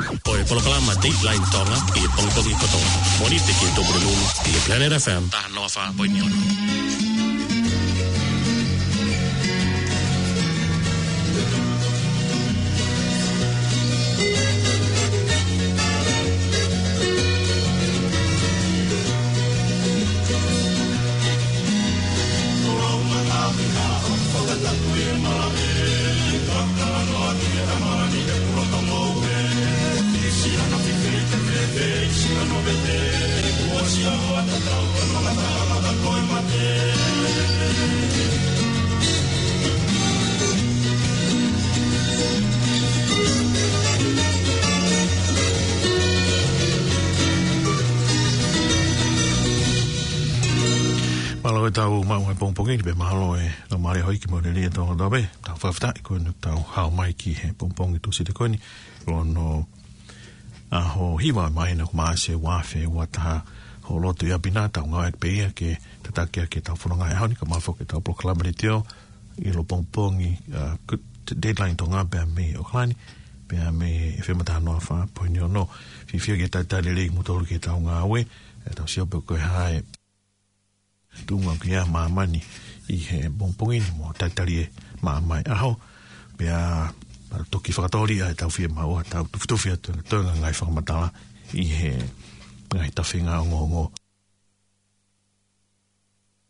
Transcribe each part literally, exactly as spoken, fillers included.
Ko e polokalama Dateline Tonga ʻi he pongipongi kotoa. Mōnite ki he Tupulelulu ʻi he Planet F M taha noa fā poini ono. Mālō e tau maʻu e pongipongi ni pea mālō e laumālie hoi ki mōneli e tau tau pē. Tau fakafetaʻi ko eni tau hao mai ki he pongipongi Tūsite ko eni. Ko hono ʻaho hiva ʻo e māhina ko Maʻasi ua afe ua taha. Hoʻo lotu ʻi ʻapi na, tau ngāueʻaki pē ia ke tataki ʻaki e tau fononga he ʻaho ni, kae ʻumaʻā foki e tau polokalama letiō ʻi loto pongipongi, ʻa, ko e Dateline Tonga pea mei ʻAokalani, pea mei he F M taha noa fā poini ono. Fiefia ke talitali lelei kimoutolu ki he tau ngāue, ʻe tau sio pe ko e hā e tuʻunga ʻoku ʻi ai ʻa māmani ʻi he pongipongi ni mo talitali e maama e ʻaho. Pea, ʻa, toki fakatōliʻa e tau fiemaʻu ʻa tau tufitufi atu e toenga ngaahi fakamatala ʻi he ngaahi tafinga ongoongo.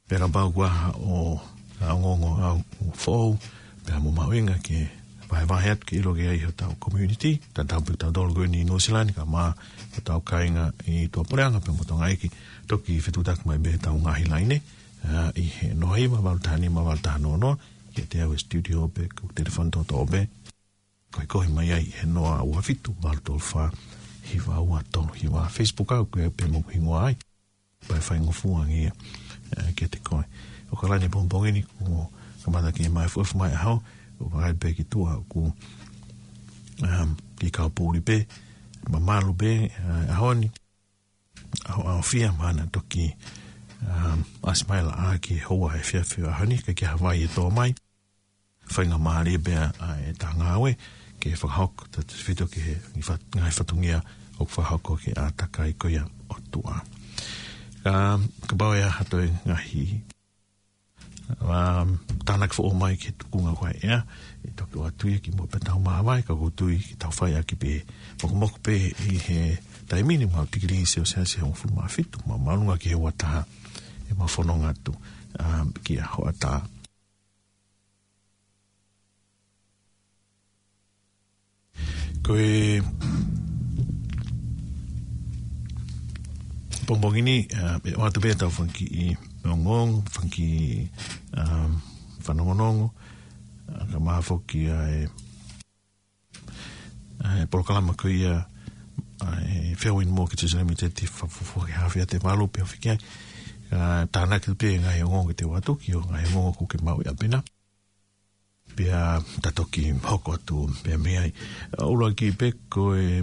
Pea kapau kuo ʻi ai ha ongoongo ʻoku foʻou, pea mo mahuʻinga ke vahevahe atu ke ʻilo ki ai hotau community, tatau pē kitautolu ko eni ʻi Nuʻusila ni kae ʻumaʻā hotau kāinga ʻi tuʻapuleʻanga pea mo Tonga ʻEiki, toki fetuʻutaki mai pē he tau ngaahi laine, ʻa, ʻi he noa hiva valu taha nima valu taha noa noa, kiate au he studio pe ko e telefoni toʻotoʻo pē, ko e kohi mai ai he noa ua fitu valu tolu fā hiva ua tolu hiva. Facebook au ko e pē mo hingoa ai. Pea faingofua ange ia, ʻa, kiate koe. ʻAokalani pongipongi ni, kuo kamata ke māʻopoʻopo mai e ʻaho, ʻoku vakai pē ki tuʻa ʻoku, um, kiʻi kau puli pē, mamalu pē, ʻa, ʻaho ni. ʻAho, ʻaho fia mana toki, um, ʻasi mai laʻā ki he houa efiafi ʻaho ni, ka ke havai e tō mai. Faingamālie pea ʻa e tau ngāue ke fakahoko tautefito ki he ngaahi fat-, ngaahi fatongia ʻoku fakahoko ki he ʻātakai ko ia ʻo e ʻOtua. Ka, kapau ʻe ʻi ai ha toe ngaahi, um, tānaki foʻou mai ki he tuʻunga ko ē ʻe ʻi ai, ʻe toki ʻoatu ia ki muʻa pea tau māvae, ka ʻoku ou tui ke tau fai ʻaki pē mokomoko pē ʻi he taimi ni, maʻu tikilī selesiasi ʻe hongofulu mā fitu, māʻolunga ki he ua taha ʻemau fononga atu, um, ki he hoʻatā. Ko e pongipongi ni, ʻa, ʻe ʻoatu pē ʻetau fanga kiʻi ongoongo, fanga kiʻi, um, fanongonongo, ʻa, kae ʻumaʻā foki ʻa e, ʻa e polokalama ko ia, ʻa e Fairwind Mortgages Limited, ʻi he fuofua ki he hafe ʻa e malu pē ʻo fiki ai. ʻA, tānaki pē ngaahi ongoongo te u ʻoatu ki he ngaahi ongoongo ʻoku ke maʻu ʻi ʻapi na. Pea ta toki hoko atu pē mei ai. ʻA, ʻuluaki pē ko e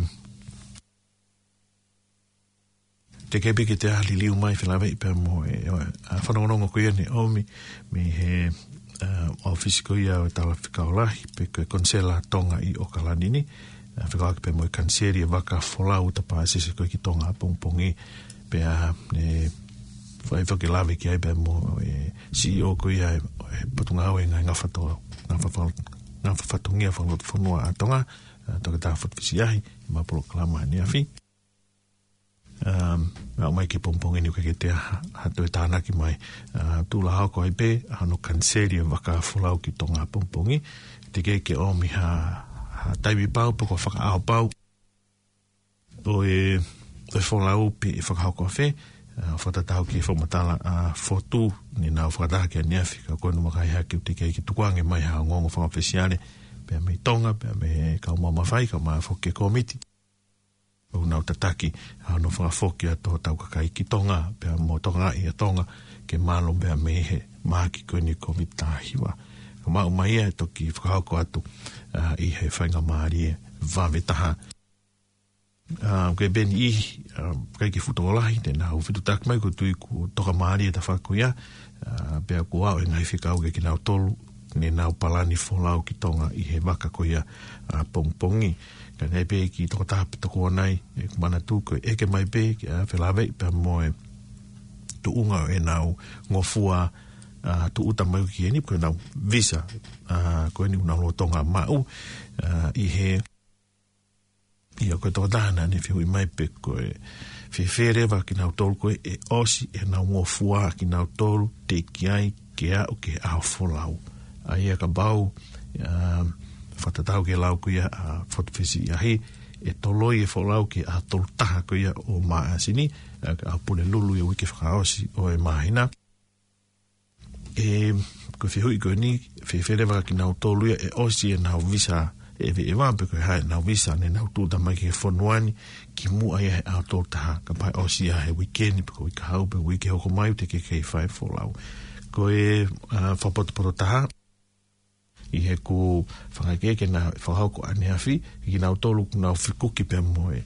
teʻeki pē ke te ʻā liliu mai felāveʻi pea mo e, ʻa, fanongonongo ko ia ne ʻomi mei he, ʻa, ʻōfisi ko ia ʻo e talafekau lahi pe ko e Konisela Tonga ʻi ʻAokalani ni. ʻA, fekauʻaki pē mo e Kaniseli ʻa Vakafolau Tapasese ko ē ki Tonga ʻapongipongi. Pea ne fai foki e lave ki ai pea mo e C E O ko ia ʻo e, ʻo e Potungāue Ngaahi Ngafa To-, Ngafa Fal-, Ngafa Fatongia Fakalotofonua ʻa Tonga, ʻa, Toketā Fatu Fisiahi, ʻemau polokalama ʻaneafi. Um, ʻa, ʻomai ki he pongipongi ni ʻoku ʻikai ke toe ʻi ai ha, ha toe tānaki mai. ʻA, tuʻulahoko ai pē ʻa hono Kaniseli ʻa Vakafolau ki Tonga ʻapongipongi. Teʻeki ke ʻomi ha, ha taimi pau pe ko e fakaʻao pau ʻo e, ʻo e folau pe ʻe fakahoko ʻafē, ʻa, fakatatau ki he fakamatala ʻa Fotu, ne nau fakataha ki ai ʻaneafi, ka ko eni ʻoku ʻikai hake ʻoku teʻeki ai ke tukuange mai ha ongoongo fakaʻofisiale pea mei Tonga, pea mei he kau mamafa, kae ʻumaʻā foki e kōmiti ʻoku nau tataki ʻa hono fakafoki atu hotau kakai ki Tonga, pea mo Tonga ʻi ʻa Tonga, ke malu pea mei he mahaki ko eni ʻo e Kōviti taha hiva. Ka maʻu mai ia ʻe toki fakahoko atu, ʻa, ʻi he faingamālie vave taha. ʻA, ko e peni ʻi, ʻa, ʻikai ke fuʻu tokolahi, te nau fetuʻutaki mai, ʻoku ou tui kuo toka mālie e tafaʻaki ko ia, ʻa, pea kuo aʻu e ngaahi fekau kiate kinautolu, ne nau palani folau ki Tonga ʻi he vaka ko ia ʻapongipongi. Ka naʻe pehē ʻe he tokotaha pe tokua nai, ʻe, manatu ko e ʻeke mai pē ki a felāveʻi pea mo e tuʻunga ʻo ʻenau ngofua, ʻa, tūʻuta mai ki heni, ko ʻenau visa, ʻa, ko eni ʻoku nau lolotonga maʻu, ʻa, ʻi he ʻIo, ko e tokotaha naʻa ne fehuʻi mai pe ko e fēfē leva kinautolu ko ē ʻe ʻosi ʻenau ngofua kinautolu teʻeki ai ke aʻu ki he ʻaho folau. ʻA ia kapau, ʻa, fakatatau ki he lau ko ia ʻa Fotufesi ʻi ʻahi, ʻe toloi e folau ki he ʻaho tolu taha ko ia ʻo Māʻasi ni, ʻa, ʻa Pulelulu ʻi he uike fakaʻosi ʻo e māhina. ʻE, ko e fehuʻi ko eni, fēfē leva kinautolu ia ʻe ʻosi ʻenau visa ʻeveʻeva pe ko e hā ʻenau visa ne nau tūʻuta mai ki he fonua ni, kimuʻa ia he ʻaho tolu taha, kapau ʻe ʻosi ia he uike ni, pe ko e uike kahaʻu, pe uike hoko mai, ʻoku teʻeki ke fai folau. Ko e, ʻa, fakapotopoto taha, ʻi heʻeku fakaʻekeʻeke naʻe fakahoko ʻaneafi, kinautolu ʻoku nau fekuki pea mo e,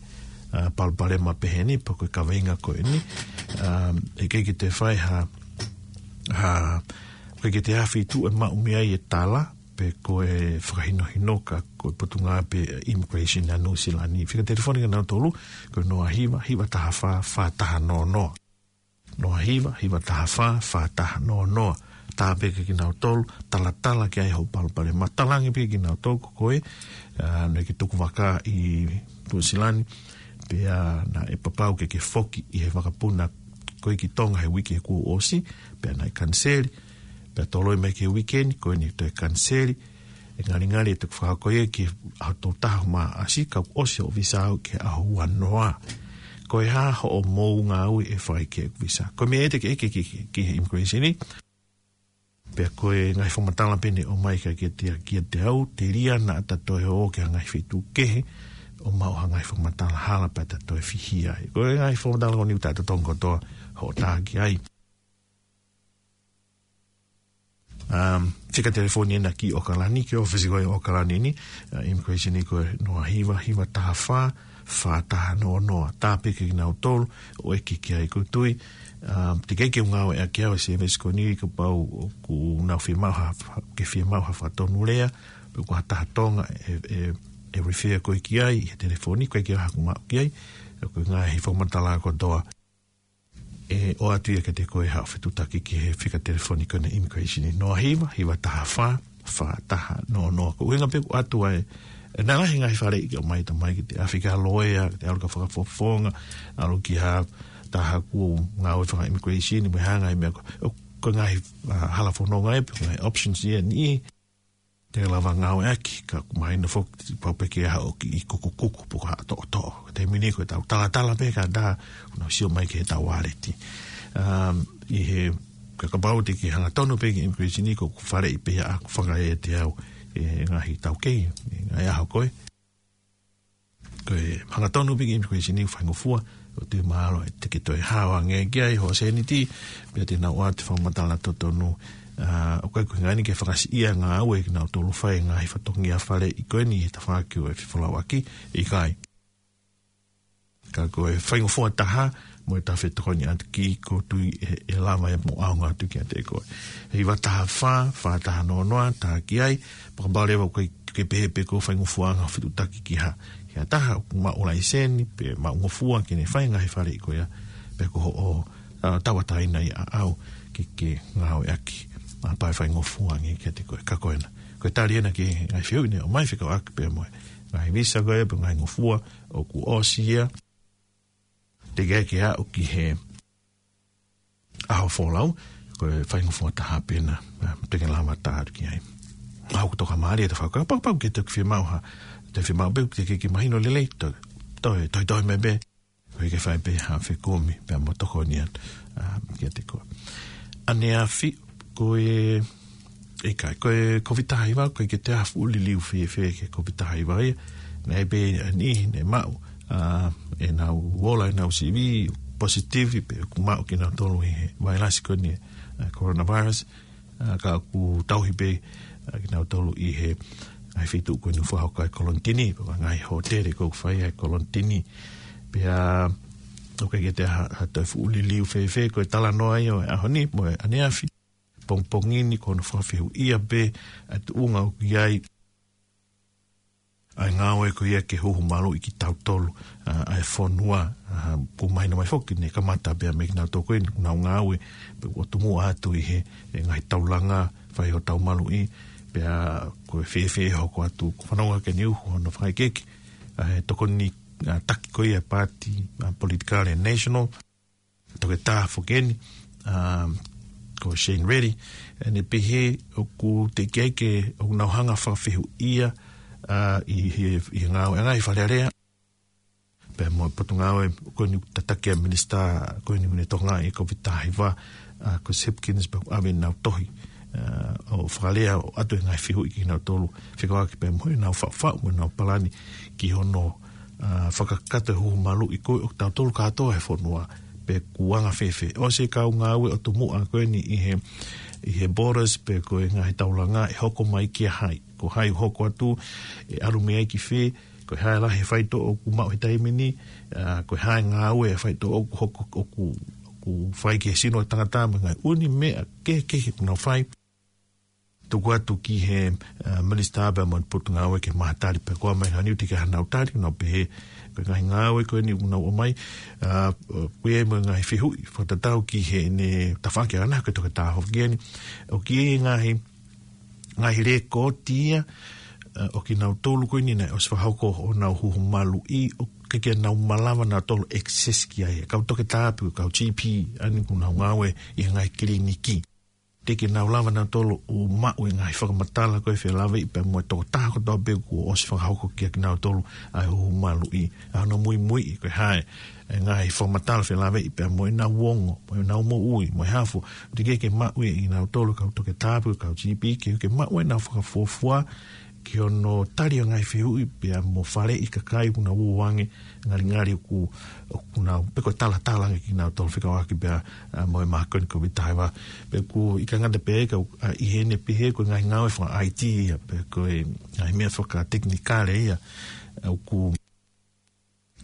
ʻa, palopalema pehē ni, pe ko e kaveinga ko eni, ʻa, ʻe ʻikai ke toe fai ha, ha, ʻikai ke toe ʻi ai ha feituʻu ʻe maʻu mei ai e tala, pe ko e fakahinohino ka ko e potungāue pē ʻa e Immigration ʻa Nuʻu Sila ni. Fika telefoni kinautolu, ko e noa hiva, hiva taha fā, fā taha noa noa. Noa hiva, hiva taha fā, fā taha noa noa. Tāpuekina kinautolu, talatala ki ai hoʻo palopalema. Talaange pē kinautolu ko koe, ʻa, naʻe ke tuku vaka ʻi Nuʻu Sila ni, pea naʻe papau ke ke foki ʻi he vakapuna ko ē ki Tonga he uike kuo ʻosi, pea naʻe kaniseli, pea toloi mai ki he uike ni, ko eni toe kaniseli, ʻe ngalingali ʻe toe fakahoko ia ki he ʻaho tolu taha Māʻasi, ka kuo ʻosi hoʻo visa aʻu ki he ʻaho ua noa. Ko e hā hoʻomou ngāue ʻe fai ki heʻeku visa? Ko e meʻa ia te ke ʻeke ki, ki, ki he Immigration ni. Pea ko e ngaahi fakamatala pē ne ʻomai kiate, kiate au, telia naʻa ta toe ō ki ha ngaahi feituʻu kehe, ʻo maʻu ha ngaahi fakamatala hala pea ta toe fihia ai. Ko e ngaahi fakamatala ko eni ʻoku ta totongi kotoa hoʻo tā ki ai. Um, fika telefoni ena ki ʻAokalani, ki he ʻōfisi ko ē ʻAokalani ni, ʻa, Immigration ni ko e noa hiva, hiva taha fā, fā taha noa noa. Tāpuekina kinautolu ʻo ʻeke ki ai, ʻoku ou tui, um, teʻeki ke u ngāueʻaki au e service ko eni kapau ʻoku nau fiemaʻu ha, ke fiemaʻu ha fakatonulea, pe ko ha taha Tonga ʻe, ʻe, ʻe refer koe ki ai, he telefoni, ʻikai ke ʻi ai haʻaku maʻu ki ai, ʻa, ko e ngaahi fakamatala kotoa ʻe ʻoatu ia kiate koe haʻo fetuʻutaki ki he fika telefoni ko ena Immigration ni, noa hiva, hiva taha fā, fā taha noa noa. Ko e ʻuhinga pē ʻoku ʻoatu ai, ʻe, naʻe lahi e ngaahi faleʻi ke ʻomai ʻo ʻomai ki he ʻafi ki ha loea, ke ʻalu ki ha fakafofonga, ʻalu ki ha taha ʻoku ngāue faka-Immigration ni, mo e hā e ngaahi meʻa ko, ʻo, ko e ngaahi, ʻa, hala fononga ē, pe ko e ngaahi options ia ni, te lava ngāueʻaki, ka ʻoku mahino foki, pau pē ke ʻalu ki he kukukuku, pe ko ha toʻotoʻo. Ko e taimi ni ko e tau talatala pē ka ta, ʻoku nau sio mai ki heʻetau waleti. Um, ʻi he, ka kapau te ke hangatonu pē ki he Immigration ni, ko ʻeku faleʻi pē ia ʻaku fakaeʻa ʻe au, ʻe he ngaahi taukei, ʻe he ngaahi ʻaho ko ē. Ko e hangatonu pē ki he Immigration ni ʻo faingofua, ʻoku ou tui mahalo ʻe te ke toe hao ange ki ai hoʻo sēniti, pea te nau ʻoatu e fakamatala totonu, ʻa, ʻoku ʻikai ko e ʻuhinga ia ke fakasiʻia e ngāue ʻa kinautolu ʻoku fai e ngaahi fatongia faleʻi ko eni he tafaʻaki ʻo e fefolauʻaki, ʻikai. Ka ko e faingofua taha, mo ʻeta fetokoniʻaki ki, ʻoku ou tui ʻe, ʻe lava ia mo ʻaonga atu kiate koe. Hiva taha fā, fā taha noa noa, tā ki ai, pea kapau leva ʻoku ʻikai ke pehē pē ko e faingofuaʻanga fetuʻutaki ki ha, ki ha taha ʻoku maʻu laiseni, pe maʻu ngofua ke ne fai e ngaahi faleʻi ko ia, pe ko hoʻo, ʻa, tauʻatāina ia ʻaʻau ke, ke ngāueʻaki, ʻa, pea ʻe faingofua ange kiate koe, ka ko ena. Ko e tali ena ki he ngaahi fehuʻi ne ʻomai fekauʻaki pea mo e ngaahi visa ko ia, pe ngaahi ngofua, ʻoku ʻosi ia, teʻeki ai ke aʻu ki he ʻaho folau, ko e faingofua taha pē ena, ʻa, te ke lava ʻo tā atu ki ai. ʻOku toka mālie ʻeta fakakaukau, kapau ke te fiemaʻu ha, te fiemaʻu pē ke, ke, ke mahino lelei, toe, toe, toe, toe mai pē, ʻoku ʻikai ke fai pē ha fekumi, pea mo tokoni atu, ʻa, kiate koe. ʻAneafi, ko e, ʻikai, ko e Covid taha hiva, ʻoku ʻikai ke toe ʻi ai ha fuʻu liliu fēfē ki he Covid taha hiva ia. Naʻe pē ʻa e niʻihi ne maʻu, ʻa, ʻenau ola, ʻenau sivi, positive, pe ʻoku maʻu kinautolu ʻi he vailasi ko eni, ʻa, coronavirus, ʻa, ka ʻoku tauhi pē, ʻa, kinautolu ʻi he ngaahi feituʻu ko eni ʻoku fakahoko ai e kolonitini, pe ko e ngaahi hōtele ʻoku fai ai e kolonitini. Pea, ʻoku ʻikai ke toe ʻi ai ha, ha toe fuʻu liliu fēfē, ko e talanoa ia ʻo e ʻaho ni, mo e ʻaneafi. pongipongi ni ko hono fakafehuʻia pē ʻa e tuʻunga ʻoku ʻi ai ʻa e ngāue ko ia ke huhu maluʻi kitautolu, ʻa, ʻa e fonua, ʻa, ʻoku mahino mai foki ne kamata pē mei kinautolu ko eni ʻoku nau ngāue, pea ʻoku tomuʻa atu ʻi he, ʻe ngaahi taulanga fai hotau maluʻi, pea ko e fēfē hoko atu, ko e fanongo ʻaki eni ʻoku hono fakaʻekeʻeke, ʻa, he tokoni, ʻa, taki ko ia paati, ʻa, politikale national, toketā foki eni, ʻa, ko Shane Reddy, ʻene pehē ʻoku teʻeki ai ke ʻoku nau hanga fakafehuʻia, ʻa, ʻi he, ʻi he ngāue ʻa e ngaahi Fale Alea. Pea mo e potungāue ko eni tataki ʻa e minisitā ko eni ʻoku ne tokangaʻi e Covid taha hiva, ʻa, ko Hipkins pea ʻave ʻenau tohi, ʻa, ʻo fakalea ʻo ʻoatu e ngaahi fehuʻi kinautolu fekauʻaki pea mo ʻenau faʻufaʻu mo ʻenau palani ki hono, ʻa, fakakakato e huhu maluʻi ko ē ʻo kitautolu kātoa he fonua pe ʻoku anga fēfē. ʻOsi e kau ngāue ʻo tomuʻa ko eni ʻi he, ʻi he borders pe ko e ngaahi taulanga ʻe hoko mai kia hai. Ko hai ʻoku hoko atu, ʻe ʻalu mei ai ki fē, ko e hā e lahi e faitoʻo ʻoku maʻu he taimi ni, ʻa, ko e hā e ngāue e faitoʻo ʻoku hoko, ʻoku, ʻoku fai ki he sino ʻo e tangata mo e ngaahi ʻū meʻa kehekehe ʻoku nau fai. Tuku atu ki he, ʻa, minisitā pea mo e potungāue ke maʻu ha tali pea ko e ʻomai ha niuti ke ʻi ai haʻanau tali, nau pehē, ko e ngaahi ngāue ko eni ʻoku nau ʻomai, ʻa, ʻoku ʻi ai mo e ngaahi fehuʻi, fakatatau ki heʻene tafaʻaki ʻana, ko e toketā foki eni, ʻoku ʻi ai e ngaahi, ngaahi lēkooti ia, ʻa, ʻo kinautolu ko eni naʻe ʻosi fakahoko honau huhu maluʻi, ʻoku ʻikai ke nau malava nautolu access ki ai. Kau toketā pe kau G P, ʻa eni ʻoku nau ngāue ʻi he ngaahi kiliniki. Teʻeki ke nau lava nautolu ʻo maʻu e ngaahi fakamatala ko ē felāveʻi pea mo e tokotaha kotoa pē kuo ʻosi fakahoko kia kinautolu ʻa e huhu maluʻi. ʻA hono muimuiʻi ko e hā e ngaahi fakamatala felāveʻi pea mo ʻenau ongo, mo ʻenau moʻui, mo e hā fua. Teʻeki ke maʻu ia ʻe kinautolu kau toketā pe kau G P ke, ke maʻu ʻenau fakafuofua ki hono tali ʻo e ngaahi fehuʻi pea mo faleʻi kakai ʻoku nau ō ange ngalingali ʻoku, ʻoku nau, pe ko e talatala ange kinautolu fekauʻaki pea, ʻa, mo e mākoni Covid taha hiva. Pea ʻoku ʻikai ngata pē ka, ʻa, ʻi heʻene pehē ko e ngaahi ngāue faka-I T ia, pe ko e ngaahi meʻa fakatekinikale ia, ʻa, ʻoku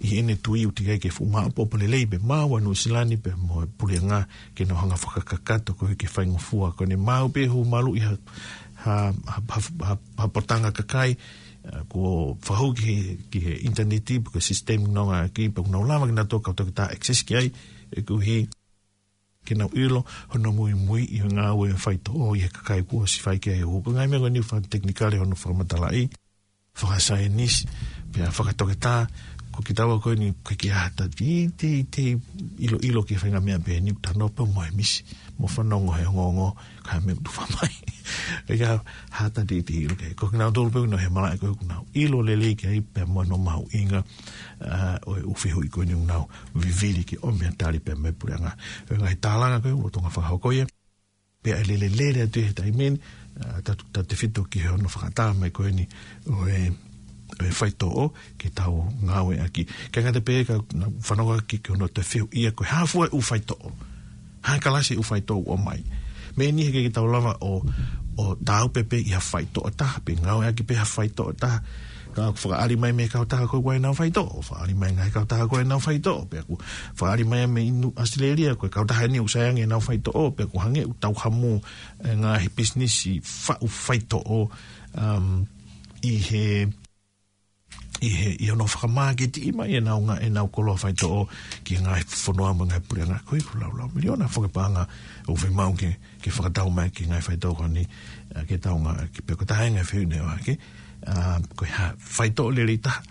ʻi heʻene tui ʻoku teʻeki ai ke fuʻu maʻopoʻopo lelei pē maʻa Nuʻu Sila ni pea mo e puleʻanga ke nau hanga fakakakato ko ē ke faingofua. Ko ʻene maʻu pē huhu maluʻi ha, ha, ha, ha, ha, ha potanga kakai, ʻa, kuo fakahū ki he, ki he ʻinitaneti pe ko e sisitemi nonga ki pea ʻoku nau lava kinautolu kau toketā access ki ai, ʻoku ʻi ai ke nau ʻilo hono muimuiʻi ʻo e ngāue faitoʻo ʻi he kakai kuo ʻosi fai ki ai e huhu. Ko e ngaahi meʻa ko eni fakatekinikale hono fakamatalaʻi, fakasaienisi, pea fakatoketā, ko kitaua ko eni ʻoku ʻikai ke ʻi ai ha taha te, te, te ʻiloʻilo ki he faʻahinga meʻa pehē ni, ʻoku tano pē mo e misi, mo fanongo he ongoongo, ka meʻa ʻoku tufa mai. ʻIkai ha taha te, te ʻilo ki ai. Ko kinautolu pē ʻoku nau ʻi he malaʻe ko ē ʻoku nau ʻilo lelei ki ai pea mo hono mahuʻinga, ʻa, ʻo e ʻū fehuʻi ko eni ʻoku nau vivili ke ʻomai ha tali pea mei he puleʻanga. Ko e ngaahi tālanga ko ē ʻoku lolotonga fakahoko ia. Pea ʻe lele lele atu he taimi ni, ʻa, tau, tautefito ki hono fakaʻatā mai ko eni ʻo e, ʻo e faitoʻo ke tau ngāueʻaki. ʻIkai ngata pē ka nau fanongo ki, ki hono toe fehuʻia ko e hā fua e ʻū faitoʻo. Hā e kalasi e ʻū faitoʻo ʻoku ʻomai. Meʻa ni heʻikai ke tau lava ʻo, ʻo tāupe pē ʻi ha faitoʻo ʻe taha, pe ngāueʻaki pē ha faitoʻo ʻe taha. Ka ʻoku fakaʻali mai mei he kautaha ko ē ʻoku ʻi ai ʻenau faitoʻo, fakaʻali mai ngaahi kautaha ko ē ʻenau faitoʻo, pea ʻoku fakaʻali mai mei Nuʻu ʻAositelēlia, ko e kautaha eni ʻoku sai ange ʻenau faitoʻo, pea ʻoku hangē ʻoku tau hamu e ngaahi pisinisi faʻu faitoʻo, um, ʻi he, ʻi he, ʻi hono fakamāketiʻi mai ʻenau ngā-, ʻenau koloa faitoʻo ki he ngaahi fonua mo e ngaahi puleʻanga. Ko e ʻū laulau miliona foki e paʻanga ʻoku fiemaʻu ke, ke fakatau mai ki he ngaahi faitoʻo ko eni, ʻa, ke tau ngā-, ke pea ko e taha e ngaahi fehuʻi naʻe ʻohake, ʻa, ko e hā e faitoʻo lelei taha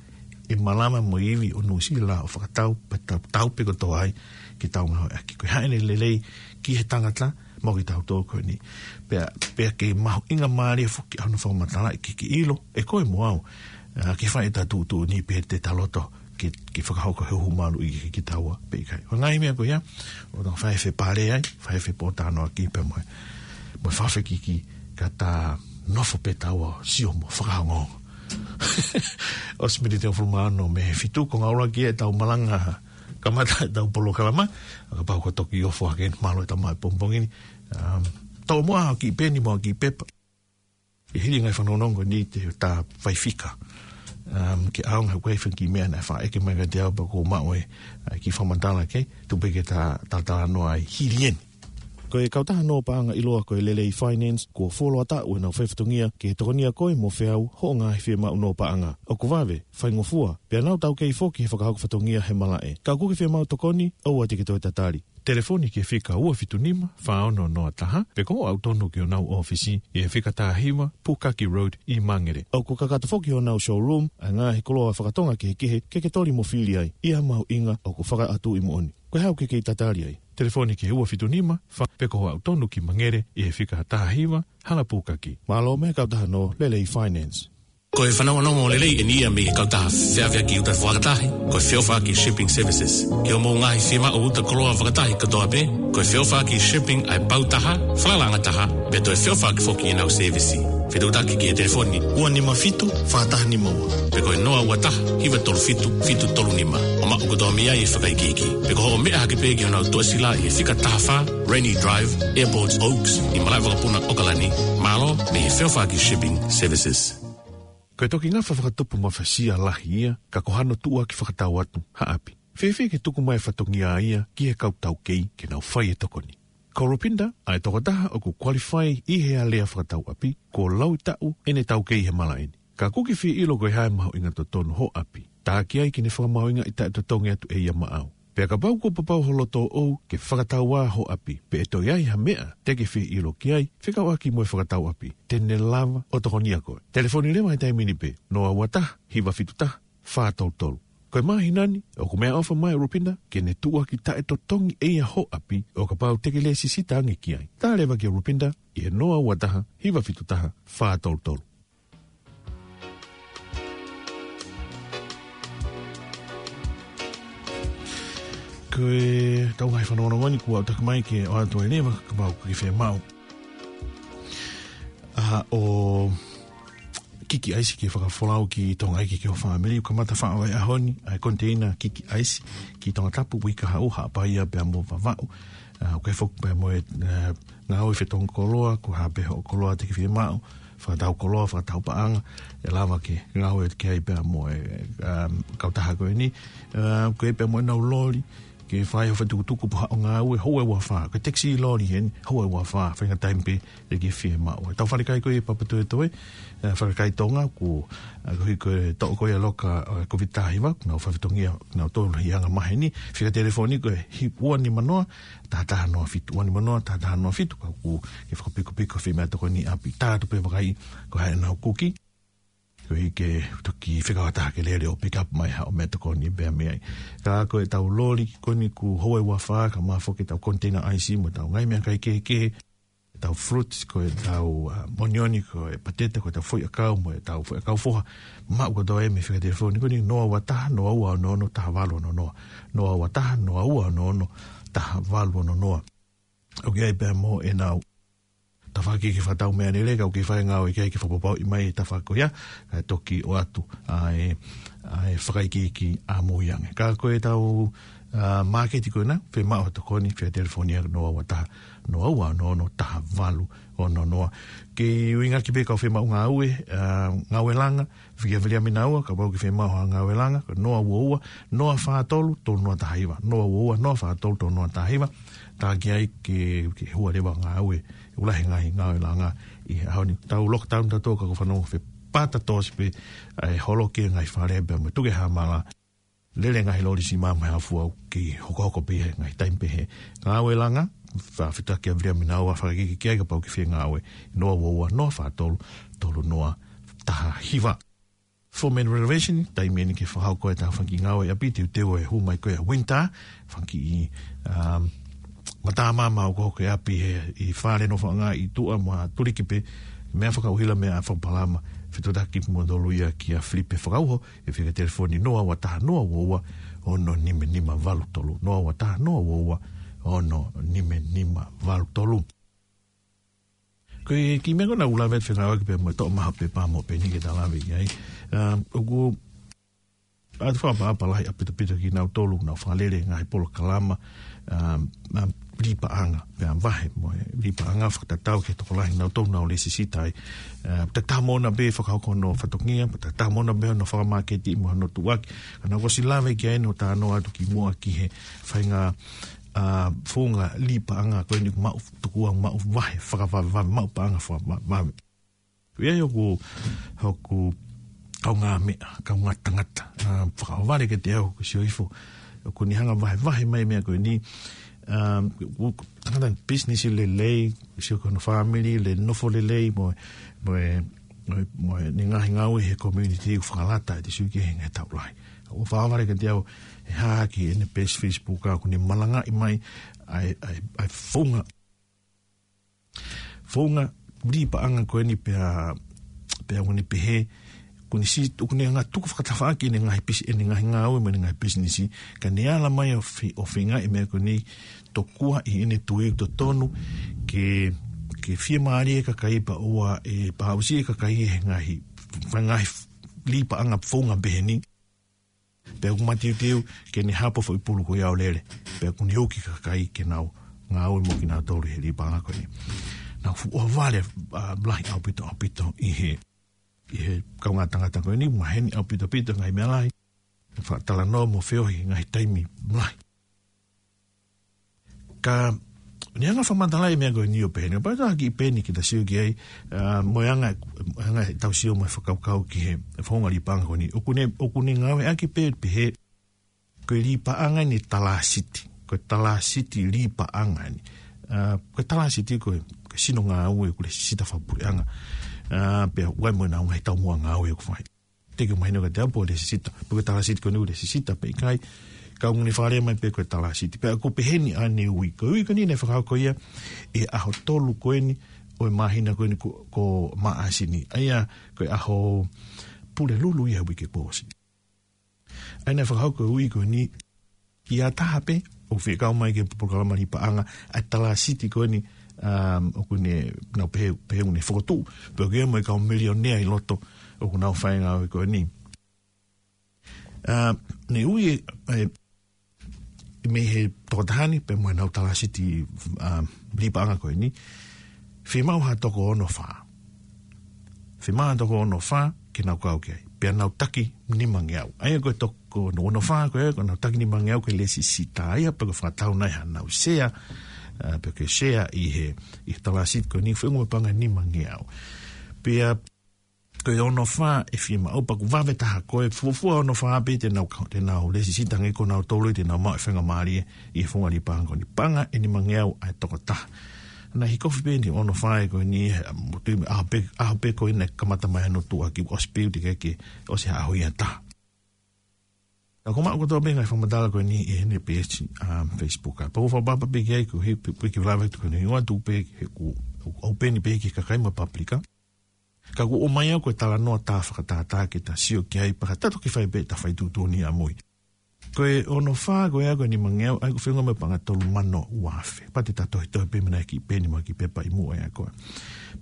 ʻe malava mo e ivi ʻo Nuʻu Sila ʻo fakatau, pea tau, tau pē kotoa ai ke tau ngāueʻaki. Ko e hā ʻene lelei ki he tangata, mo kitautolu ko eni. Pea, pea ʻoku mahuʻinga mālie foki hono fakamatalaʻi ke, ke ʻilo ʻe koe mo au, ʻa, ke fai ʻeta tuʻutuʻuni pe te ta loto ke, ke fakahoko e huhu maluʻi ki, kitaua pe ʻikai. Ko e ngaahi meʻa ko ia, ʻoku tau fai e fepale ai, fai e fepōtalanoaʻaki pea mo e, mo e fakafekiki ka ta nofo pē taua ʻo sio mo fakaongoongo. ʻOsi miniti ʻe hongofulu mā ono mei he fitu, ko e ngāue ki heʻetau malanga kamata ʻetau polokalama, ʻa, kapau kuo toki ofo hake, mālō e tama he pongipongi ni. Um, tomuʻa ha kiʻi peni mo ha kiʻi pepa. ʻI he hili e ngaahi fanongonongo ni te ta fai fika. Um, ke ʻaonga he ʻoku ʻi ai e fanga kiʻi meʻa naʻe faʻa ʻeke mai kiate au pea kuo u maʻu e, ʻa, kiʻi fakamatala ke, tuku pē ke ta, ta talanoa ai hili eni. Ko e kautaha nō paʻanga ʻiloa ko e Lelei Finance, kuo fuoloa taʻu ʻenau fai fatongia ke tokonia koe mo feau hoʻo ngaahi fiemaʻu nō paʻanga. ʻOku vave, faingofua, pea nau taukei foki he fakahoko fatongia he malaʻe. Ka ʻoku ke fiemaʻu tokoni, ʻoua te ke toe tatali. Telefoni ki he fika ua fitu nima, fā ono noa taha, pe ko hoʻo aʻu tonu ki honau ʻōfisi, ʻi he fika taha hiva, Pukaki Road, ʻi Mangere. ʻOku kakato foki honau showroom, ʻa e ngaahi koloa fakatonga kehekehe, ke ke toli mo fili ai, ʻi ha mahuʻinga ʻoku fakaʻatuʻi moʻoni. Ko e hā ʻoku ke kei tatali ai? Telefoni ki he ua fitu nima, fā, pe ko hoʻo aʻu tonu ki Mangere, ʻi he fika taha hiva, Hala Pukaki. Mālō mei he kautaha nō Lelei Finance. Ko e fanongonongo lelei eni ia mei he kautaha feʻaveʻaki uta fakatahi, ko e Feʻofaʻaki Shipping Services. Ki hoʻomou ngaahi fiemaʻu uta koloa fakatahi kotoa pē, ko e Feʻofaʻaki Shipping ʻa e pau taha, falalaʻanga taha, pea toe feʻofaʻaki foki ʻenau sēvisi. Fetuʻutaki ki he telefoni ua nima fitu, fā taha nima ua, pe ko e noa ua taha, hiva tolu fitu, fitu tolu nima. ʻO maʻu kotoa mei ai e fakaikiiki. Pe ko hoʻo meʻa hake pē ki honau tuʻasila ʻi he fika taha fā, Rainy Drive, Airport Oaks, ʻi Malaʻevakapuna, ʻOkalani. Mālō mei he Feʻofaʻaki Shipping Services. Ko e toki ngafa fakatupu mafasia lahi ia, ka ko hano tuʻuaki fakatau atu ha ʻapi. Fēfē ke tuku mai e fatongia ia ki he kau taukei ke nau fai e tokoni? Ko Rupinda, ʻa e tokotaha ʻoku qualify ʻi he alea fakatau ʻapi, kuo laui taʻu ʻene taukei he malaʻe ni. Ka ʻoku ke fie ʻilo ko e hā e mahuʻinga totonu hoʻo ʻapi. Tā ki ai ke ne fakamahuʻingaʻi taʻetotongi atu ʻe ia maʻau. Pea kapau kuo papau ho loto ʻoʻou ke fakatau ā hoʻo ʻapi, pe ʻe toe ʻi ai ha meʻa te ke fie ʻilo ki ai, fekauʻaki mo e fakatau ʻapi, te ne lava ʻo tokonia koe. Telefoni leva he taimi ni pē, noa ua taha, hiva fitu taha, fā tolu tolu. Ko e māhina ni, ʻoku meʻaʻofa mai ʻa Rupinda ke ne tuʻuaki taʻetotongi ʻe ia hoʻo ʻapi, ʻo kapau te ke lēsisita ange ki ai. Tā leva kia Rupinda ʻi he noa ua taha, hiva fitu taha, fā tolu tolu. Ko e tau ngaahi fanongonongo ni kuo aʻutaki mai ke ʻoatu leva kapau ʻoku ke fiemaʻu ʻa hoʻo kiki ʻaisi ke fakafolau ki Tonga ʻEiki ki ho fāmili, ʻoku kamata faʻo e ʻaho ni ʻa e koniteina kiki ʻaisi ki Tongatapu, Puʻakau, Haʻapai pea mo Vavaʻu. ʻA, ʻoku ʻi ai foki pea mo e, ʻa, ngāue fetongi koloa, ko e hā pē hoʻo koloa te ke fiemaʻu, fakatau koloa, fakatau paʻanga, ʻe lava ke ngāue ki ai pea mo e, ʻa, kautaha ko eni. ʻA, ʻoku ʻi ai pea mo ʻenau loli, ke fai hoʻo fetukutuku pe ko haʻo ngāue, houa ʻe ua fā, ko e taxi loli eni, houa ʻe ua fā, faʻahinga taimi pē te ke fiemaʻu. Tau falekai ko ē Papatoetoe, ʻa, falekai Tonga, ko, ʻa, ko e hiko e toʻo ko ē ʻa e loka, ʻa, Covid taha hiva, nau fai fatongia, nau tolu ʻi he anga maheni, fika telefoni ko e hi-, ua nima noa, taha taha noa fitu, ua nima noa, taha taha noa fitu, ka ʻoku ke fakapikopiko fie meʻatokoni ʻapi. Tā atu pē vakai ko e hā ʻenau kuki, koeʻuhi ke toki fekauʻaki ke lele ʻo pick up mai haʻo meʻatokoni pea mei ai. Ka ko e tau loli ko eni ʻoku houa ʻe ua fā, ka ʻoku mafoki ʻetau koniteina ʻaisi mo ʻetau ngaahi meʻakai kehekehe, ʻetau fruits, ko ʻetau, ʻa, onioni, ko e pateta, ko ʻetau foʻiʻakau, mo ʻetau foʻiʻakau foha, maʻu kotoa ia mei he fika telefoni ko eni noa ua taha, noa ua ono ono, taha valu ono noa. Noa ua taha, noa ua ono ono, taha valu ono noa. ʻOku ʻi ai pea mo ʻenau tafaʻaki ke fakatau meʻalele, ka ʻoku ke fai ngāue ki ai ke fakapapauʻi mai e tafaʻaki ko ia, kae toki ʻoatu ʻa e, ʻa e fakaikiiki ʻamui ange. Ka ko ʻetau, ʻa, māketi ko ena, fiemaʻu ha tokoni, fika telefoni ia noa ua taha, noa ua ono ono, taha valu ono noa. Ke ʻuhinga ki he kau fiemaʻu ngāue, ʻa, ngāue langa, fika Viliami Naua, kapau ʻoku ke fiemaʻu ha ngāue langa, ko e noa ua ua, noa fā tolu, tolu noa taha hiva, noa ua ua, noa fā tolu, tolu noa taha hiva, tā ki ai ke, ke hua leva ngāue, ʻoku lahi e ngaahi ngāue langa ʻi he ʻaho ni. Tau lockdown tautolu ka ʻoku fanongo fepata tōsi pē, ʻa e holo ki he ngaahi fale pea mo e tuku e hāmala, lele e ngaahi loli sima mo e hā fua ʻoku kei hokohoko pē he ngaahi taimi pehē. Ngāue langa, fakafetaʻi kia Viliami Naua, fakaikiiki ki ai kapau ʻoku ke fie ngāue, noa ua ua, noa fā tolu, tolu noa taha hiva. Foreman Renovation, taimi eni ke fakahoko e tafaʻaki ngāue ʻapi, teuteu e hū mai ko ē ʻa e winter, fanga kiʻi, um, matamama ʻoku hoko he ʻapi he, ʻi he fale nofoʻanga ʻi tuʻa mo ha tuliki pē, meʻa fakaʻuhila, meʻa fakapalama, fetuʻutaki kimoutolu ia kia Filipe Fakauho, ʻi he fika telefoni noa ua taha noa ua ua ono nima nima valu tolu, noa ua taha noa ua ua ono nima nima valu tolu. Ko e kiʻi meʻa ko ena ʻoku lave atu fengāueʻaki pea mo e toʻo mai ha pepa mo e peni ke ta lave ki ai. Um, ʻoku ʻoatu fakaʻapaʻapa lahi ʻaupito kia kinautolu ʻoku nau fakalele e ngaahi polokalama, um, um, lī paʻanga, pea vahe mo e lī paʻanga fakatatau ki he tokolahi kinautolu ʻoku nau lēsisita ai. Uh, tatau mo ʻena pē fakahoko hono fatongia, tatau mo ʻena pē hono fakamāketi mo hono tuʻuaki. Ka naʻá ku ʻosi lave ki ai ʻo talanoa atu kimuʻa ki he faʻahinga ʻa, founga lī paʻanga ko eni ʻoku maʻu, tuku ʻa maʻu vahe fakavavevave, maʻu paʻanga fakavavevave. Ko ia ʻoku, ʻoku kaungāmeʻa, kaungā tangata, ʻa, fakaʻohovale kiate au ʻoku sio hifo, ʻoku ne hanga vahevahe mai meʻa ko eni, ʻa, ʻoku tangata business lelei, sio ko hono family, le nofo lelei, mo, mo, mo, mo ʻene ngaahi ngāue he community ʻoku fakalata ʻete sio ki he ngaahi taʻu lahi. ʻOku fakaʻohovale kiate au, ʻe hā ki heʻene page Facebook ʻa ʻoku ne malangaʻi mai, ʻa e, ʻa e, ʻa e founga founga lī paʻanga ko eni pea, pea ʻoku ne pehē, ʻoku ne si-, ʻoku ne hanga tuku fakatafaʻaki ʻene ngaahi pisi-, ʻene ngaahi ngāue mo ʻene ngaahi pisinisi, ka ne ala mai ʻo fe-, ʻo feingaʻi meʻa ko eni tokua ʻi heʻene tui ʻoku totonu ke, ke fiemālie e kakai pea ʻoua ʻe pāusi e kakai he ngaahi, ngaahi lī paʻanga founga peheni. Pea ʻoku mateuteu ke ne hapo foʻi pulu ko ia ʻo lele. Pea ʻoku ne uki kakai ke nau ngāue mo kinautolu he lī paʻanga ko eni. Naʻe fuʻu ʻohovale, ʻa, lahi ʻaupito, ʻaupito ʻi he, ʻi he kaungā tangata ko eni, maheni ʻaupito, ʻaupito ngaahi meʻa lahi. Fakatalanoa mo feohi ngaahi taimi lahi. Ka, ne hanga fakamatalaʻi meʻa ko eni ʻo pehē ni, pea tā ki peni kita sio ki ai, ʻa, mo e anga, anga ʻetau sio mo e fakakaukau ki he, he founga lī paʻanga ko eni. ʻOku ne, ʻoku ne ngāueʻaki pē, pehē, ko e lī paʻanga ʻeni talasiti, ko e talasiti lī paʻanga ʻeni. ʻA, ko e talasiti ko e, ko e sino ngāue ʻoku lesisita fakapuleʻanga. ʻA, pea ʻoku ʻi ai mo ʻenau ngaahi taumuʻa ngāue ʻoku fai. Te ke mahino kiate au pe ʻoku lesisita, pe ko e talasiti ko eni ʻoku lesisita pe ʻikai, ka ʻoku ne fakalea mai pē ko e talasiti. Pea ʻoku pehē ni ʻa ʻene ui, ko e ui ko eni naʻe fakahoko ia ʻi he ʻaho tolu ko eni ʻo e māhina ko eni ko, ko Maʻasi ni. ʻA ia ko e ʻaho Pulelulu ia uike kuo ʻosi. ʻA ia naʻe fakahoko e ui ko eni, ʻi ha taha pē, ʻoku fekau mai ki he polokalama lī paʻanga, ʻa e talasiti ko eni, um, ʻoku ne, nau pehē, pehē ʻoku ne fokotuʻu, pea ʻoku ʻi ai mo e kau milionea ʻi loto, ʻoku nau fai e ngāue ko eni. Uh, ne ui e, e, mei he tokotaha ni, pea mo ʻenau talasiti, um, lī paʻanga ko eni, fiemaʻu ha toko ono fā. Fiemaʻu ha toko ono fā, ke nau kau ki ai. Pea nau taki nimangeau. ʻA ia ko e toko ono fā ko ē, ko ʻenau taki nimangeau ko e lesisita ia, pea ko e fakatau nai haʻanau sea, ʻa, pea ko e sea ʻi he, ʻi he talasiti ko eni, fengu me panga nimangeau. Pea ko e ono fā ʻe fiemaʻu pea ʻoku vave taha ko e fuofua ono fā pē te nau, te nau lesisita ngē ko nautolu te nau maʻu e faingamālie ʻi he founga lī paʻanga ko eni. Panga ʻe nimangeau ʻa e tokotaha. Naʻe hikofi pē ʻeni ono fā ē ko eni, he, ʻa, mo tui me ʻaho pē, ʻaho pē ko eni naʻe kamata mai hono tuʻuaki ʻosi pē ʻoku teʻeki ke ʻosi ha ʻaho ia ʻe taha. Ka ʻoku maʻu kotoa pē ngaahi fakamatala ko eni ʻi heʻene peesi, um, Facebook. Pea ʻoku ou fakapapau pē ki ai ko e hiki, pē, pē ki lave atu ko eni ʻoatu pē he ʻoku, ʻoku ʻopen pē ki he kakai mo e pāpulika. Ka ʻoku ʻomai au ko e talanoa tā fakatātā ke ta sio ki ai pea ka ta toki fai pē ʻeta fai tuʻutuʻuni ʻamui. Ko e ono fā ko ē ko e nimangeau, ʻa ia ʻoku fengu me panga tolu mano ua afe. Pea te ta tohitohi pē mei he kiʻi peni mo e kiʻi pepa ʻi muʻa ia ko ē.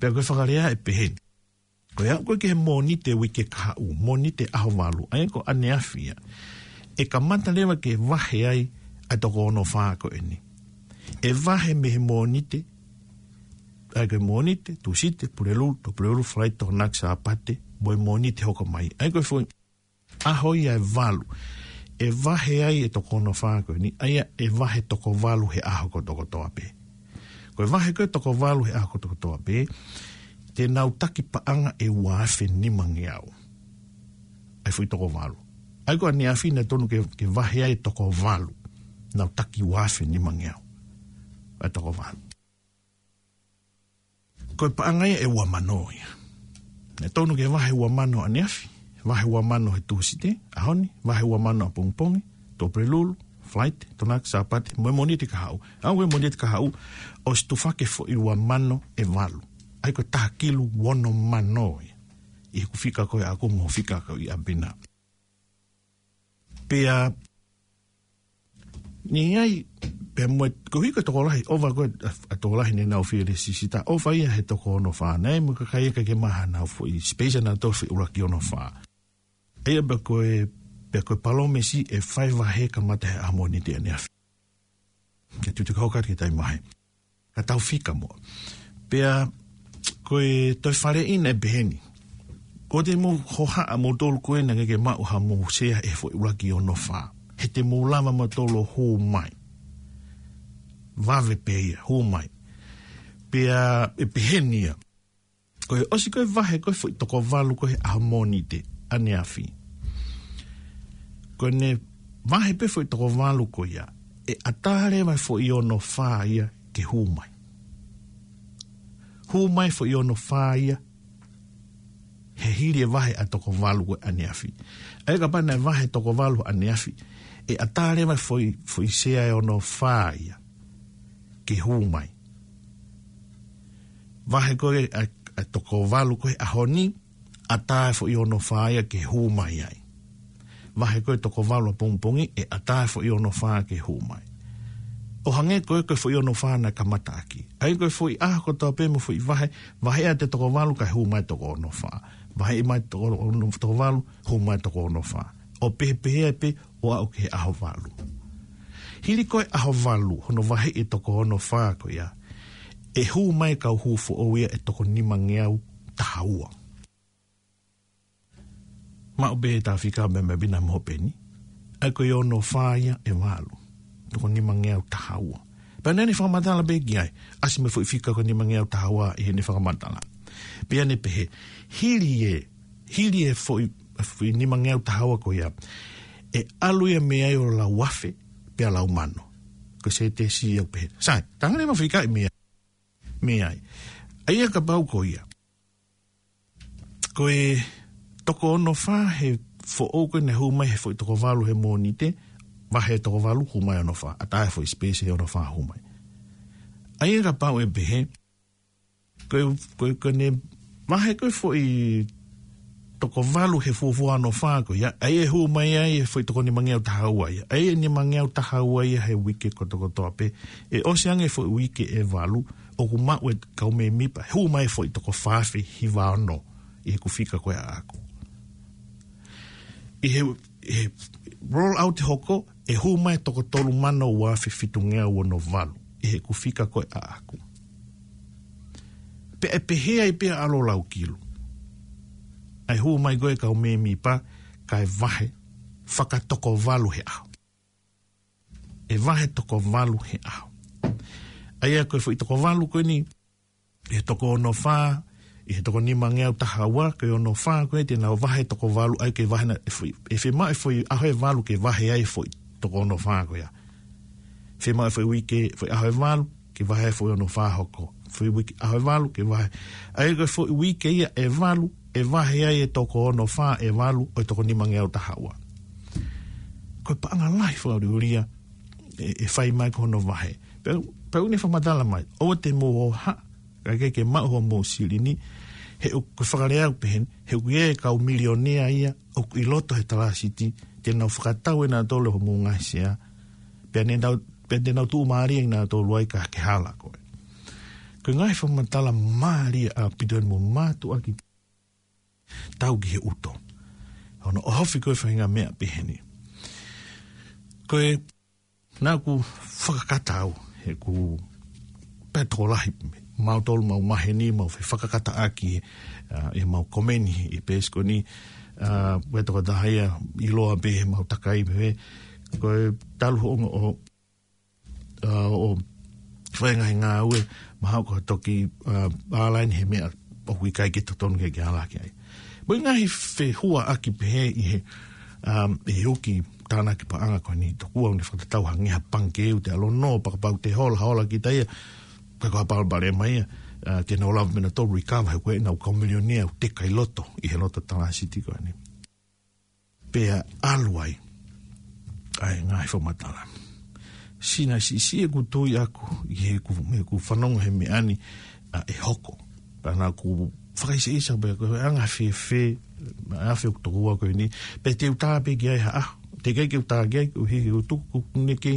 Pea ko e fakalea ʻe pehē ni. Ko e aʻu ko ē ki he Mōnite uike kahaʻu, Mōnite ʻaho valu, ʻa ia ko ʻaneafi ia. ʻE kamata leva ke vahe ai ʻa e toko ono fā ko eni. ʻE vahe mei he Mōnite, ʻa ia ko e Mōnite, Tūsite, Pulelulu, Tuʻapulelulu, Falaite, Tokonaki, Sāpate, mo e Mōnite hoko mai. ʻA ia ko e foʻi ʻaho ia ʻe valu. ʻE vahe ai e toko ono fā ko eni, ʻa ia ʻe vahe toko valu he ʻaho kotokotoa pē. Ko e vahe ko ē toko valu he ʻaho kotokotoa pē, te nau taki paʻanga ʻe ua afe nimangeau. ʻA e foʻi toko valu. ʻA ia ko ʻaneafi naʻe tonu ke, ke vahe ai e toko valu. Nau taki ua afe nimangeau. ʻA e toko valu. Ko e paʻanga ia ʻe ua mano ia. Naʻe tonu ke vahe ua mano ʻaneafi, vahe ua mano he Tūsite, ʻaho ni, vahe ua mano ʻapongipongi, Tuʻapulelulu, Falaite, Tokonaki, Sāpate, mo e Mōnite kahaʻu. Aʻu ki he Mōnite kahaʻu, ʻosi tufaki e foʻi ua mano ʻe valu. ʻA ia ko e taha kilu ono mano ia. ʻI heʻeku fika ko ē ʻaʻaku mo e fika ko ē ʻi ʻapi na. Pea, ʻi ai, pea mo e, ko e hiko tokolahi, ʻova ko ē, ʻa, ʻa tokolahi naʻa nau fie lesisita, ʻova ia he toko ono fā, naʻe mo e kakai ʻikai ke maʻu haʻanau foʻi space naʻa nau toe foʻi ʻuluaki ono fā. ʻA ia pea ko e, pea ko e palōmesi ʻe fai vahe kamata he ʻaho Mōnite ʻaneafi. Ke tutu kau kati ke tai mahe. Ka tau fika mo. Pea, ko e toe faleʻi naʻe pehē ni. Ko ʻete mou hohaʻa moutolu ko ē naʻa ke maʻu haʻamou sea he foʻi ʻuluaki ono fā. He te mou lava moutolu ʻo hū mai. vave pē ia, hū mai. Pea ʻe peheni ia. Ko e ʻosi ko e vahe ko e foʻi toko valu ko e ʻaho Mōnite, ʻaneafi. Ko ʻene vahe pē foʻi toko valu ko ia, ʻe ʻatā leva e foʻi ono fā ia ke hū mai. Hū mai foʻi ono fā ia, he hili e vahe ʻa e toko valu ko e ʻaneafi. ʻA ia kapau naʻe vahe toko valu ʻaneafi, ʻe ʻatā leva e foʻi, foʻi sea ʻe ono fā ia ke hū mai. Vahe ko e ʻa, ʻa e toko valu ko e ʻaho ni, ʻatā e foʻi ono fā ia ke hū mai ai. Vahe ko e toko valu ʻapongipongi, ʻe ʻatā e foʻi ono fā ke hū mai. ʻO hangē ko e, ko e foʻi ono fā naʻe kamata ʻaki. ʻA ia ko e foʻi ʻaho kotoa pē mo e foʻi vahe, vahe ʻa e toko valu kae hū mai toko ono fā. Vahe mai toko ono, toko valu, hū mai toko ono fā. ʻO pehē pehē ai pē, ʻo aʻu ki he ʻaho valu. Hili ko e ʻaho valu, hono vahe e toko ono fā ko ia, ʻe hū mai e kau hū foʻou ia ʻe toko nimangeau taha ua. Maʻu pē ʻe Tafika me me pina mo peni. ʻA ia ko e ono fā ia ʻe valu. Toko nimangeau taha ua. Pea naʻa ne fakamatala pē ki ai. ʻAsi mo e foʻi fika ko e nimangeau taha ua ʻi heʻene fakamatala. Pea ne pehē. Hili e, hili e foʻi, foʻi nimangeau taha ua ko ia. ʻE ʻalu ia mei ai ʻo lau afe, pea lau mano. Ko e sētesi ia pehē. Sai, tangane ma fika i mei ai. Mei ai. ʻA ia kapau ko ia. Ko e toko ono fā he foʻou ko e naʻe hū mai he foʻi toko valu he Mōnite, vahe toko valu hū mai ono fā, ʻatā e foʻi space he ono fā hū mai. ʻA ia kapau ʻe pehē, ko e, ko e, ko ʻene vahe ko e foʻi toko valu he fuofua ono fā ko ia, ʻa ia ʻe hū mai ai e foʻi toko nimangeau taha ua ia, ʻa ia ʻe nimangeau taha ua ia he uike kotokotoa pē, ʻe ʻosi ange foʻi uike ʻe valu, ʻoku maʻu e kau mēmipa, hū mai foʻi toko fā afe hiva ono ʻi heʻeku fika ko e ʻaʻaku. ʻI he, ʻi he roll out hoko, ʻe hū mai toko tolu mano ua afe fitungeau ono valu ʻi heʻeku fika ko e ʻaʻaku. Pea ʻe pehē ai pē ʻa ʻAlo Laukilu. ʻA e hū mai ko e kau mēmipa, kae vahe, fakatoko valu he ʻaho. ʻE vahe toko valu he ʻaho. ʻA ia ko e foʻi toko valu ko eni, ʻi he toko ono fā, ʻi he toko nimangeau taha ua, ko e ono fā ko e te nau vahe toko valu, ʻa ia ke vahe na, ʻe foʻi, ʻe fiemaʻu e foʻi ʻaho ʻe valu ke vahe ai foʻi toko ono fā ko ia. Fiemaʻu e foʻi uike, foʻi ʻaho ʻe valu, ke vahe ai foʻi ono fā hoko. Foʻi uike, ʻaho ʻe valu, ke vahe. ʻA ia ko e foʻi uike ia ʻe valu, ʻe vahe ai e toko ono fā ʻe valu, ʻo e toko nimangeau taha ua. Ko e paʻanga lahi fakaʻuliʻulia, ʻe, ʻe fai mai ko hono vahe. Pea, pea ʻoku ne fakamatala mai, ʻoua te mou hohaʻa, kae ke maʻu hoʻomou silini, he ʻoku fakalea ʻoku pehē ni, he ʻoku ʻi ai e kau milionea ia, ʻoku ʻi loto he talāsiti, te nau fakatau ʻe nautolu hoʻomou ngaahi sea, pea ne nau, pea te nau tuʻumālie ʻe nautolu ai ka ke hala koe. Ko e ngaahi fakamatala mālie ʻaupito eni mo mātuʻaki tau ki he ʻuto. Hono ʻohofi ko e faʻahinga meʻa pehē ni. Ko e naʻa ku fakakata au, he ʻoku pē tokolahi, mautolu mau maheni, mau fefakakataʻaki, ʻa, ʻi heʻemau komeni, ʻi he peesi ko eni, ʻa, pē tokotaha ia, ʻiloa pē, heʻemau takai pē, ko e talu hoʻo, ʻo, ʻa, ʻo, fai e ngaahi ngāue, mahalo ko e toki, ʻa, ʻalaini he meʻa, ʻoku ʻikai ke totonu ke ke ala ki ai. Mo e ngaahi fehuaʻaki pehē ʻi he, um, ʻi he uki tānaki paʻanga ko eni tokua ʻoku ne fakatatau hangē ha pangikē ʻoku te ʻalu ʻo nō, pea kapau te hola, hola kita ia, ka ko ha palopalema ia, ʻa, te nau lava pē nautolu ʻo recover he ko e ʻenau kau milionea ʻoku teka ʻi loto, ʻi he loto talāsiti ko eni. Pea ʻalu ai ʻa e ngaahi fakamatala. Sina siʻisiʻi ʻeku tui ʻaʻaku, ʻi heʻeku, heʻeku fanongo he meʻa ni, ʻa, ʻe hoko. Pea naʻa ku fakaʻiseʻisa pē ko e anga fēfē, ʻa e afe ʻoku tokua ko eni, pea te u tā pē ki ai ha ʻaho. Teʻeki ai ke u tā ki ai, koeʻuhi ʻoku tuku, ʻoku ne kei,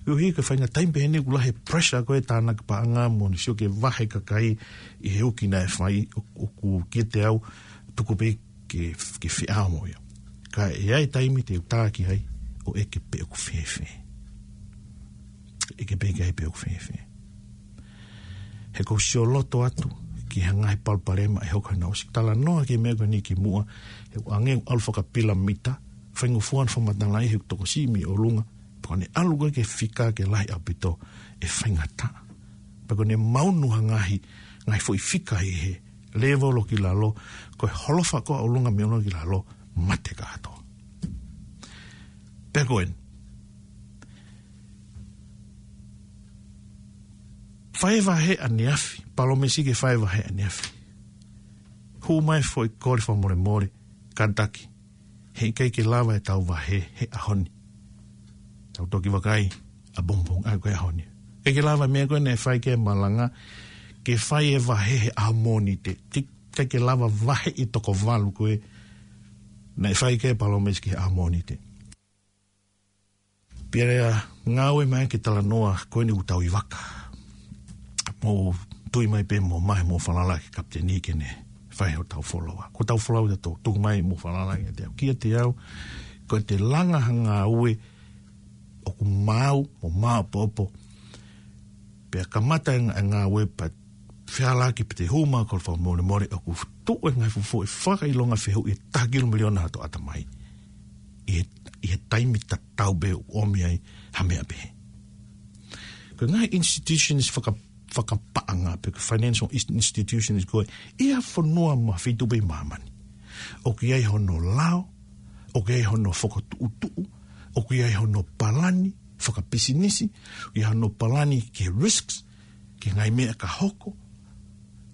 koeʻuhi ko e faʻahinga taimi pehē ni ʻoku lahi e pressure ko e tānaki paʻanga mo ʻene sio ki he vahe kakai ʻi he uki naʻe fai, ʻo, ʻoku kiate au, tuku pē ke, ke feʻao mo ia. Ka ʻe ʻi ai e taimi te u tā ki ai, ʻo ʻeke pe ʻoku fēfē. ʻEke pē ki ai pe ʻoku fēfē. He ʻoku ou sio loto atu ki he ngaahi palopalema ʻe hoko, naʻa ku ʻosi talanoa ki he meʻa ko eni kimuʻa, he ʻoku hangē ʻoku ʻalu fakapilamita, faingofua hono fakamatalaʻi he ʻoku tokosiʻi mei ʻolunga, Pea ko ʻene ʻalu ko ē ki he fika ke lahi ʻaupito ʻe faingataʻa. Pea ko ʻene maunu ha ngaahi, ngaahi foʻi fika ʻi he lēvolo ki lalo, ko e holofa ko ē ʻolunga mei ʻolunga ki lalo, mate kātoa. Pea ko eni. Fai e vahe ʻaneafi, palōmesi ke fai e vahe ʻaneafi. Hū mai foʻi kole fakamolemole, kātaki. Heʻikai ke lava ʻetau vahe he ʻaho ni. Tau toki vakai ʻapongipongi, ʻa ko e ʻaho ni. ʻIkai ke lava meʻa ko ē naʻe fai ki ai e malanga, ke fai e vahe he ʻaho Mōnite. Ti-, ʻikai ke lava vahe ʻi toko valu ko ē naʻe fai ki ai e palōmesi ki he ʻaho Mōnite. Pea lea ngāue mai ke talanoa ko eni ʻoku tau ʻi vaka. Mou tui mai pē mou ō mai mou falala ki he kapiteni ke ne fai hotau foloa. Ko hotau foloa ʻoku tau tuku mai mou falala kiate au. Kiate au, ko ʻete langa ha ngāue ʻoku maau, mo maopoopo. Pea kamata e ngā-, e ngāue pea fealaki pea te u hū mai ʻo kole fakamolemole ʻoku tuʻu e ngaahi fuofua e fakaʻilonga fehuʻi ʻe taha kilu miliona hoto ʻatamai. ʻI he, ʻi he taimi tatau pē ʻoku ʻomi ai ha meʻa pehē. Ko e ngaahi institutions faka-, fakapaʻanga pe ko e financial ins-, institutions ko ē ʻi ha fonua mo ha feituʻu pē ʻi māmani, ʻoku ʻi ai hono lao, ʻoku ʻi ai hono fokotuʻutuʻu, ʻoku ʻi ai hono palani fakapisinisi, ʻoku ʻi ai hono palani ki he risks, ki he ngaahi meʻa ka hoko.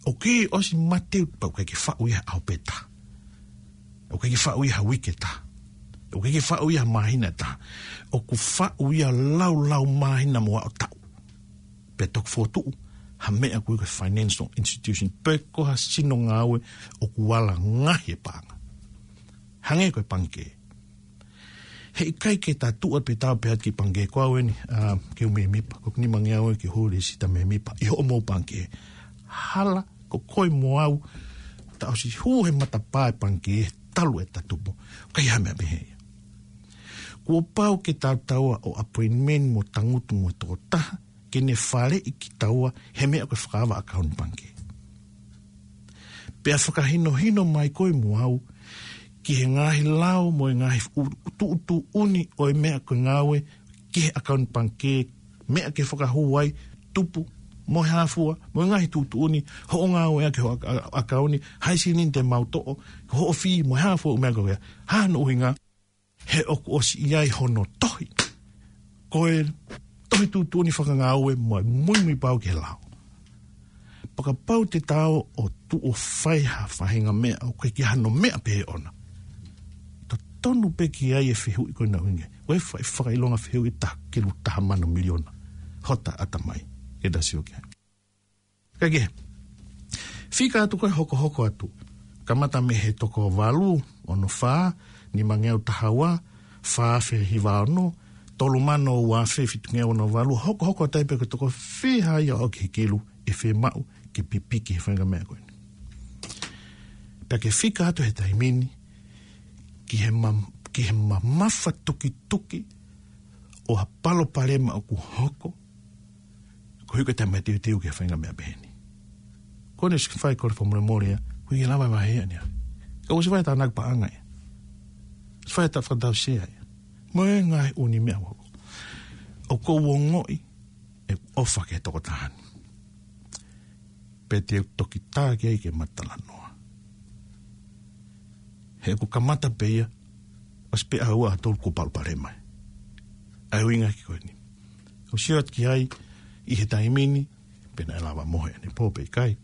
ʻOku ʻikai ʻosi mate pea ʻoku ʻikai ke faʻu ia he ʻaho pē taha. ʻOku ʻikai ke faʻu ia ha uike ʻe taha. ʻOku ʻikai ke faʻu ia ha māhina ʻe taha. ʻOku faʻu ia laulau māhina mo aʻu taʻu. Pea toki fokotuʻu ha meʻa ko ē ko e financial institution pe ko ha sino ngāue ʻoku ala ngaahi e paʻanga. Hangē ko e pangikē. Heʻikai ke ta tuʻu atu pē tau pehē atu ki he pangikē ko au eni, ā, ke u mēmipa, ko e nima ngeau ē ke u hū lēsisita mēmipa ʻi hoʻomou pangikē. Hala, ko koe mo au, ta ʻosi hū he matapā e pangikē, talu ʻeta tupu. ʻIkai ha meʻa pehē ia. Kuo pau ke tau taua ʻo appointment mo tangutu mo e tokotaha, ke ne faleʻi kitaua he meʻa ko e fakaava ʻakauni pangikē. Pea fakahinohino mai koe mo au ki he ngaahi lao mo e ngaahi u-, tuʻutuʻuni ʻo e meʻa ko e ngāue ki he ʻakauni pangikē, meʻa ke fakahū ai, tupu, mo e hā fua, mo e ngaahi tuʻutuʻuni, hoʻo ngāueʻaki hoʻo ʻaka-, ʻakauni, hai silini te mau toʻo, hoʻo fee, mo e hā fua e meʻa ko ia, hā hono ʻuhinga, he ʻoku ʻosi ʻi ai hono tohi. Ko e tohi tuʻutuʻuni fakangāue mo e muimui pau ki he lao. Pea kapau te tau ō atu ʻo fai ha faʻahinga meʻa ʻoku ʻikai ke ʻi ai hano meʻa pehē ʻoʻona, totonu pē ke ʻi ai e fehuʻi ko ena ʻuhinga. Ko e fa-, fakaʻilonga fehuʻi ʻe taha kilu taha mano miliona hota ʻatamai. Ke ta sio ki ai. Kae kehe, fika atu ko ē hokohoko atu. Kamata mei he toko valu ono fā, nima ngeau taha ua, fā afe hiva ono, tolu mano ua afe fitu ngeau ono valu, hokohoko atu ai pē ko e toko fiha ia ʻo aʻu ki he kilu ʻe fiemaʻu ke pipiki he faʻahinga meʻa ko eni. Pea ke fika atu he taimi ni ki he ma-, ki he mamafa tukituki ʻo ha palopalema ʻoku hoko, koeʻuhi ko e taʻemateuteu ki he faʻahinga meʻa pehē ni. Ko eni ʻosi fai e kole fakamolemole ia, ʻoku ʻikai lava e vahe ia ʻaneafi. Ka ʻosi fai e tānaki paʻanga ia. ʻOsi fai e tā fakatausia ia. Mo e ngaahi ʻū meʻa ʻoku hoko. ʻOku ou ongoʻi ʻeku ʻofa ki he tokotaha ni. Pea te u toki tā ki ai ke ma talanoa. He ʻoku kamata pē ia, ʻosi pē ʻaho ua ʻaho tolu kuo palopalema. ʻA e ʻuhinga ki ko eni. ʻOsi ʻoatu ki ai ʻi he taimi ni, pe naʻe lava mohe ʻanepō pe ʻikai.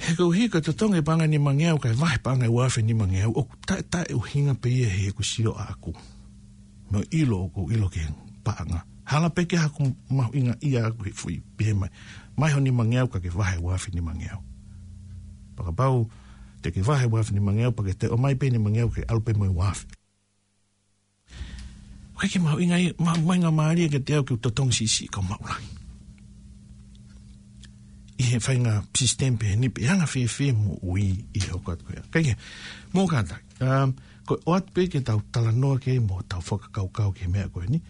He koeʻuhi ko e totongi e paʻanga ʻe nima ngeau kae vahe paʻanga ʻe ua afe nima ngeau, ʻoku taʻetaʻeʻuhinga pē ia he ʻeku sio ʻaʻaku. Mo e ʻilo ʻoku ou ʻilo ki he paʻanga. Hala pē ke haku mahuʻinga ia ʻaʻaku he foʻi pehē mai. Mai ho nima ngeau ka ke vahe ua afe nima ngeau. Pea kapau te ke vahe ua afe nima ngeau, pea ke toe ʻomai pē nima ngeau ke ʻalu pē mo e ua afe. ʻOku ʻikai ke mahuʻinga ia, ma-, mahuʻinga mālie kiate au ke u totongi siʻisiʻi ka u maʻu lahi. ʻI he faʻahinga sisitemi pehē ni pe ʻe anga fēfē moʻui ʻi he hoko atu ko ia. Kae kehe, mou kātaki. Um, ko e ʻoatu pē ke tau talanoa ki ai mo tau fakakaukau ki he meʻa ko eni,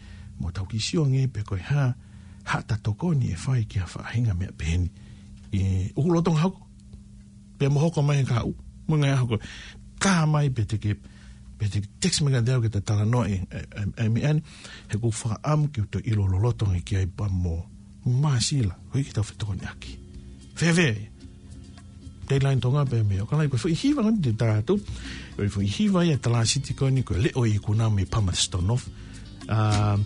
mo tau kiʻi sio ange pe ko e hā, haʻata tokoni ʻe fai ki ha faʻahinga meʻa pehē ni. ʻE, ʻoku lolotonga hoko, pea mo hoko mai he kahaʻu, mo e ngaahi ʻaho ko ē. Tā mai pē te ke Pea te text mai kiate au ke ta talanoa e, e, e, e meʻa ni, he ʻoku ou fakaʻamu ke u toe ʻilo loloto ange ki ai pea mo Masila, ko e kiʻi tau fetokoniʻaki. Fēfē ia? Deadline Tonga pē meʻa. ʻOku ʻikai ko e foʻi hiva ko eni te u tala atu. Ko e foʻi hiva ia ʻa e talāsiti ko eni ko e Leʻo ʻo e Ikuna mei Palmerston North. ʻA,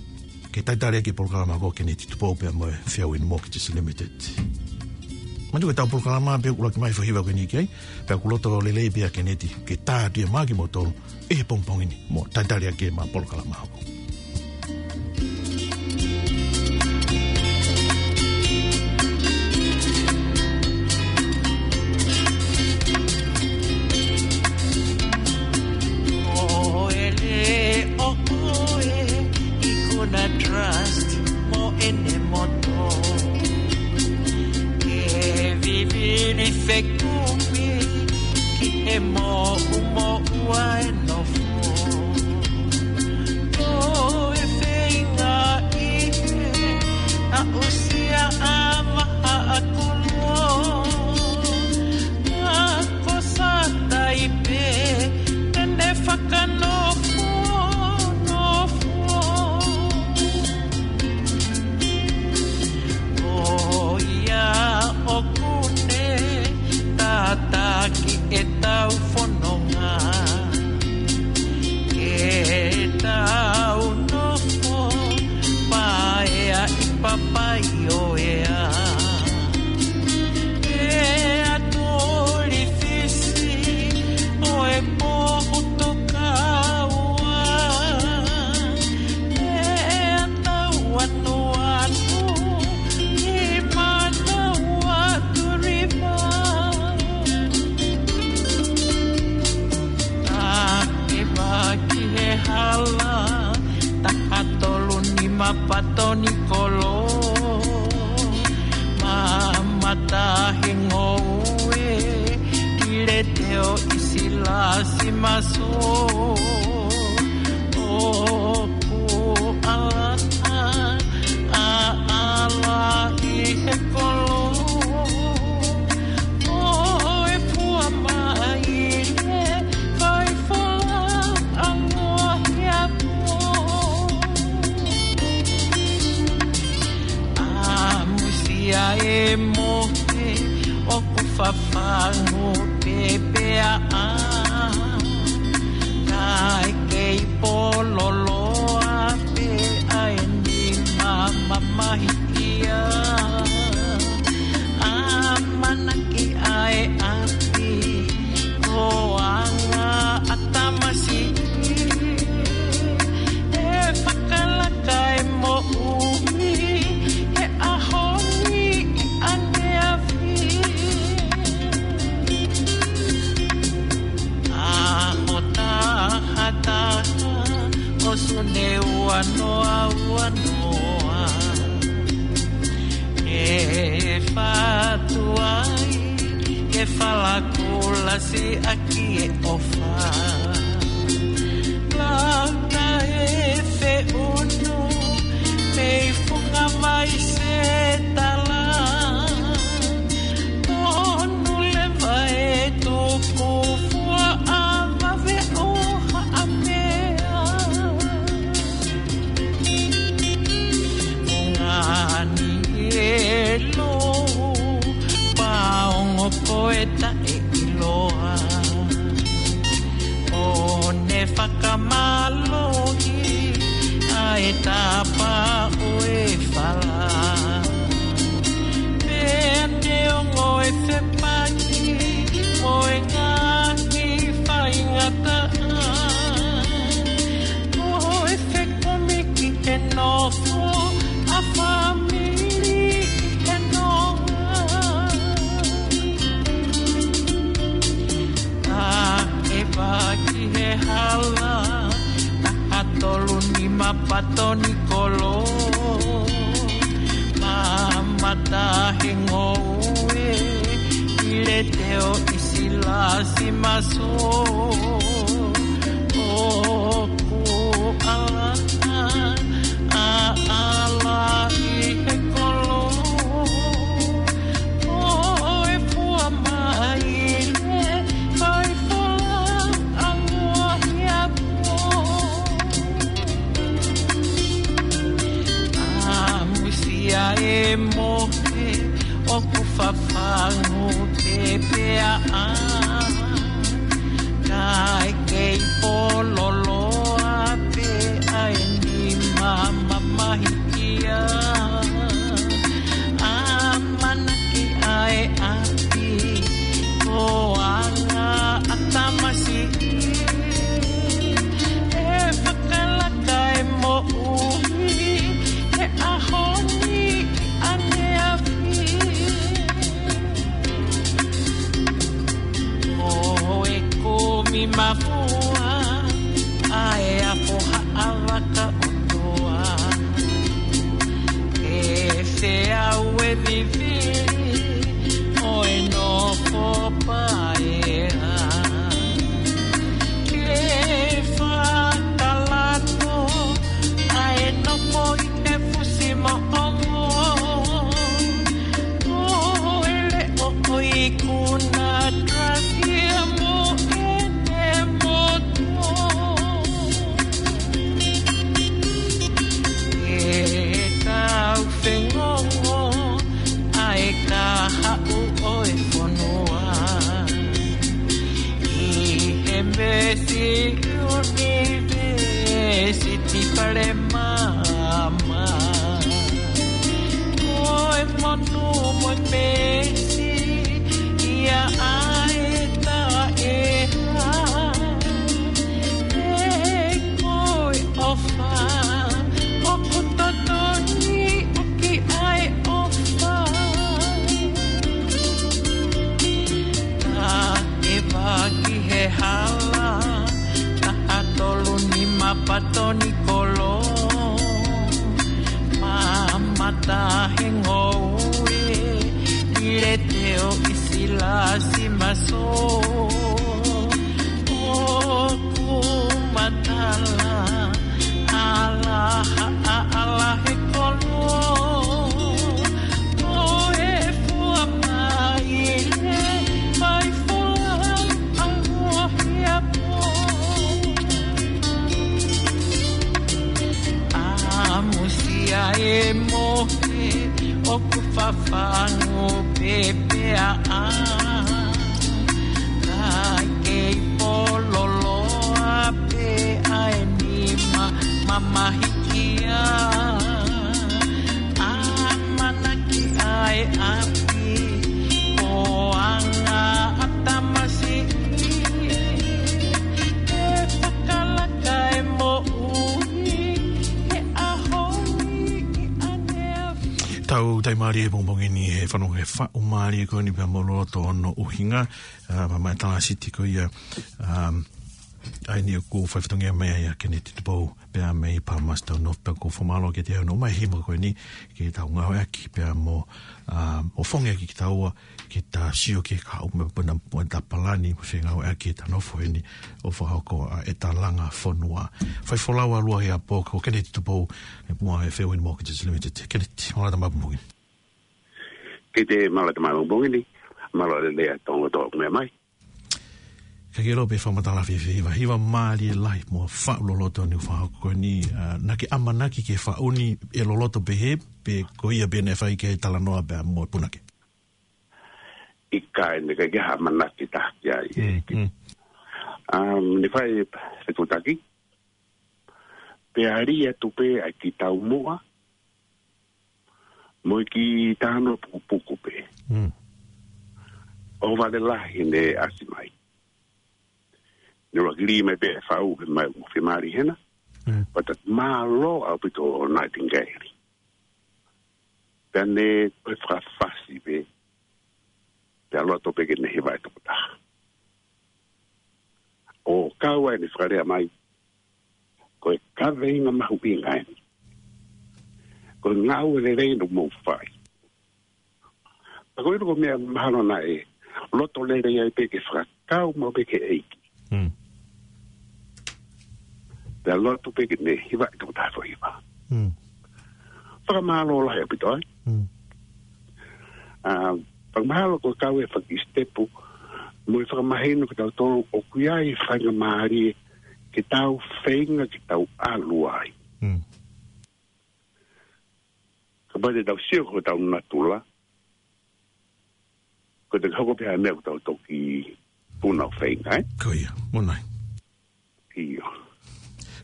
ke talitali ʻaki e polokalama ko ē ʻa Keneti Tupou pea mo e Fairwind Mortgages Limited. Manatu ko ʻetau polokalama pē ʻoku ʻuluaki mai foʻi hiva ko eni ki ai, pea ʻoku loto lelei pē ʻa Keneti ke tā atu ia maʻa kimoutolu ʻi he pongipongi ni mo talitali ʻaki ʻema polokalama hoko. Ko e leʻo ʻo e Ikuna Trust mo ʻene moto. Ke vivili fekumi ki he moʻumoʻua e nofo. Ko e feinga ʻi he aʻusia ʻa Mahaʻakuluo. Ka ko Sataipe, te ne fakanofo, nofo. Ko ia ʻoku ne tataki ʻetau fononga ke tau nofo paea ʻi Papaioea. ʻEa Tulifisi ʻo e Pohutukaua, ʻEa Tauanuanu ʻi Manawatu River. Taʻe vaki he hala, taha tolu nima Patonikolo, mamata he ngoue, ʻi Leteo ʻi Silasi Maso. ʻOku ʻalu ʻa ʻAla ʻi he kolo ʻo e Fuamaile, fai folau ʻa Lohiapo. ʻAmusia e mohe ʻoku fafangu pepeaʻa, kae kei pololoa pē ʻa e nima mamahi ia. ʻAmanaki ʻa e ʻapi ko anga ʻa tamasiʻi, ʻe fakalaka e moʻui he ʻaho ni ʻi ʻaneafi. ʻAho taha taha ʻo Sune ua noa ua noa, ʻe fatu ai ke falakulasi ʻaki e ʻofa. Lauta e feʻunu mei Funga Vai Setala, tonu leva e tukufua ʻa Vave ʻo Haʻamea. Ngani elo, paongo ko e taʻeʻiloa. ʻO ne fakamālohi ʻa e tapa ʻo e fala, pea ne ongo e fepaki mo e ngaahi faingataʻa. Ko e fekumi ki he nofo ʻa fāmili ʻi he nonga. Taʻe vaki he hala, taha tolu nima Patonikolo, mamata he ngoue, ʻi Leteo ʻi Silasi Maso. ʻOku ʻalu ʻa ʻAla ʻi he kolo ʻo e Fuamaile, fai folau ʻa Lohiapo. e mohe ʻoku fafangu pē pea ʻā. Kae kei pololoa pē ʻa e nima mamahi ia. ʻAmanaki ʻa e ʻapi ko anga ʻa tamasiʻi. ʻE fakalaka e moʻui he ʻaho ni ʻaneafi. Ko e kumi mafua ʻa e afo haʻavaka ʻOtua. Ke feau e vivili ʻo e nofo paea. Ke fakalato ʻa e nofo ʻi he fusi moʻomo. Ko e leʻo ʻo ikuna Krasia mo ʻene motuʻa. ʻE tau fengongo ʻa e kahaʻu ʻo e fonua. ʻI he Mesi University Palemaama. Ko e monu mo e mesi ia ʻa e taʻeha. ʻE ko e ʻofa ʻoku totonu ʻoku ʻi ai ʻofa. Taʻe vaki he hala, taha tolu nima patoni kolo. Mamata he ngoue, ʻi le teo ʻi silasi maso. ʻOku matala, ala ha, ala he kolo. Ko e fua mai le fai fua ʻa Mohiapo. ʻAmusia e mohe ʻoku fafangu pē pea ʻā. Kae kei pololoa pē ʻa e nima mamahi ia. ʻAmanaki ʻa e ʻapi ko anga ʻa tamasiʻi. ʻE fakalaka e moʻui he ʻaho ni ʻaneafi. Tau tai mālie he pongipongi ni he fanongo he faʻu mālie ko eni pea mo loloto hono ʻuhinga, ʻa, ma, ma e tala siti ko ia, ʻa, ʻa eni ʻoku fai fatongia mai ai ʻa Keneti Tupou, pea mei Palmerston North, pea ʻoku ou fakamālō kiate ia hono ʻomai e hima ko eni, ke tau ngāueʻaki, pea mo, ʻa, mo fongiʻaki kitaua, ke ta sio ki he kahaʻu mo e puna, mo e ta palani, mo e fengāueʻaki ʻeta nofo heni, ʻo fakahoko ʻa ʻeta langa fonua. Fai folau ʻa Luahiapo, ko Keneti Tupou, ʻi muʻa he Fairwind Mortgages Limited. Keneti, mālō ʻeta maʻu e pongipongi ni. Ke te mālō ʻeta maʻu e pongipongi ni, mālō e lelei ʻa e tō ʻoku mea mai. Ka ke lō pē fakamatala fēfē hiva, hiva mālie lahi mo faʻu loloto ni ʻoku fakahoko ko eni, ʻa, naʻa ke ʻamanaki ke faʻu ni ʻe loloto pehē, pe ko ia pē naʻe fai ki ai e talanoa pea mo e punake? ʻIkai, naʻe ʻikai ke ha ʻamanaki taha ki ai. Mm, mm. Um, naʻe fai e fetutaki, pea lī atu pē ʻa e kiʻi taumuʻa, mo e kiʻi talanoa pukupuku pē. Mm. ʻO vale lahi ne ʻasi mai. Ne ʻuluaki lī mai pē e faʻu, pea mai mo fiemālie hena. Mm. Pea ta mālō ʻaupito ʻo Nightingale. Pea ne toe fakafasi pē, pea loto pē ke ne hiva e tokotaha. ʻO kau ai ne fakalea mai, ko e kaveinga mahuʻinga eni. Ko e ngāue lelei naʻa mou fai. Pea ko e ʻilo ko e meʻa mahalo naʻe loto lelei ai pē ke fakakau maʻu pē ki he ʻEiki. Mm. Pea loto pē ke ne hiva e tokotaha foʻi hiva. Mm. Fakamālō lahi ʻaupito ai. Mm. ʻA, fakamahalo ko e kau e faki sitepu, mo e fakamahino kia tautolu ʻoku ʻi ai e faingamālie ke tau feinga ke tau ʻalu ai. Mm. Pea te tau sio ko hotau natula, ko e te hoko pē ha meʻa ʻoku tau toki puna ʻo feinga, ē? Ko ia, mo nai. ʻIo.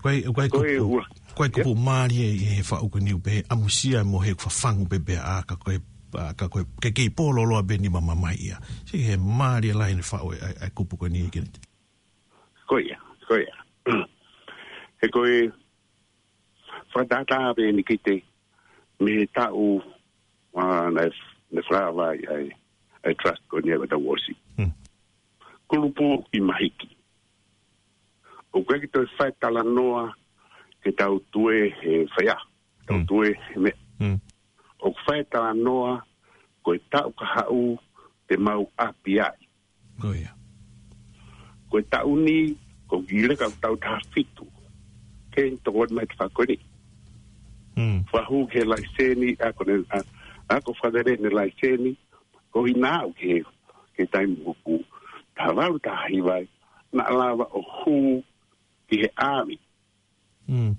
Ko e, ko e Ko e kupu, ua. ko e kupu Ia. mālie ʻi he faʻu ko eni ʻoku pehē ʻamusia mo he fafangu pē pea ʻā ka ko e, ʻā ka ko e ke kei pōloloa pē ni mamamai ia. Siʻi he mālie lahi ʻene faʻu e, ʻa e, ʻa e kupu ko eni ke Ko ia, ko ia. He ko e fakatātā pē eni ki te mei he taʻu, ʻā, naʻe, naʻe fakaava ai ʻa e, ʻa e trust ko eni ʻa e tau ʻosi. Hmm. Kulupu ʻi mahiki. ʻOku ʻikai ke toe fai talanoa ke tau tue he faiʻaho. Tau Hmm. tue he meʻa. Hmm. ʻOku fai talanoa ko e taʻu ka haʻu te mau ʻapi ai. Ko ia. Ko e taʻu ni, ko e leka ʻo e taʻu taha fitu. Ke tokoni mai te fakoni. Hmm. Fakahū ke laiseni, ʻa ko ʻene, ʻa, ʻa ko fakalele ʻene laiseni, ko hina au ke, ke taimi ʻoku taha valu taha hiva ai, naʻa lava ʻo hū ki he ʻāmi. Hmm.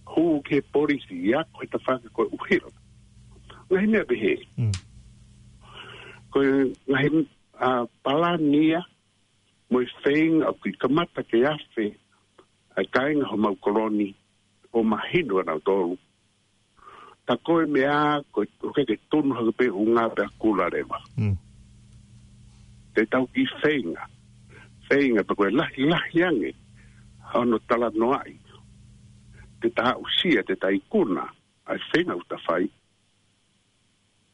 Hū ki he polisi, ʻa ko e tafaʻaki ko e ʻuhila. Ngaahi meʻa pehē. Hmm. Ko e ngaahi, ʻā, palani ia, mo e feinga ʻoku kamata ke afe, ʻa e kāinga homau kolo ni, ʻo mahino ʻa nautolu. Ta ko e meʻa, ko e, ko e ke tonu hake pē ʻunga pē ʻa kula leva. Hmm. Te tau kiʻi feinga. Feinga pē ko e lahi, lahi ange. Hono talanoaʻi. Te ta aʻusia, te ta ikuna. ʻA e feinga ʻoku ta fai.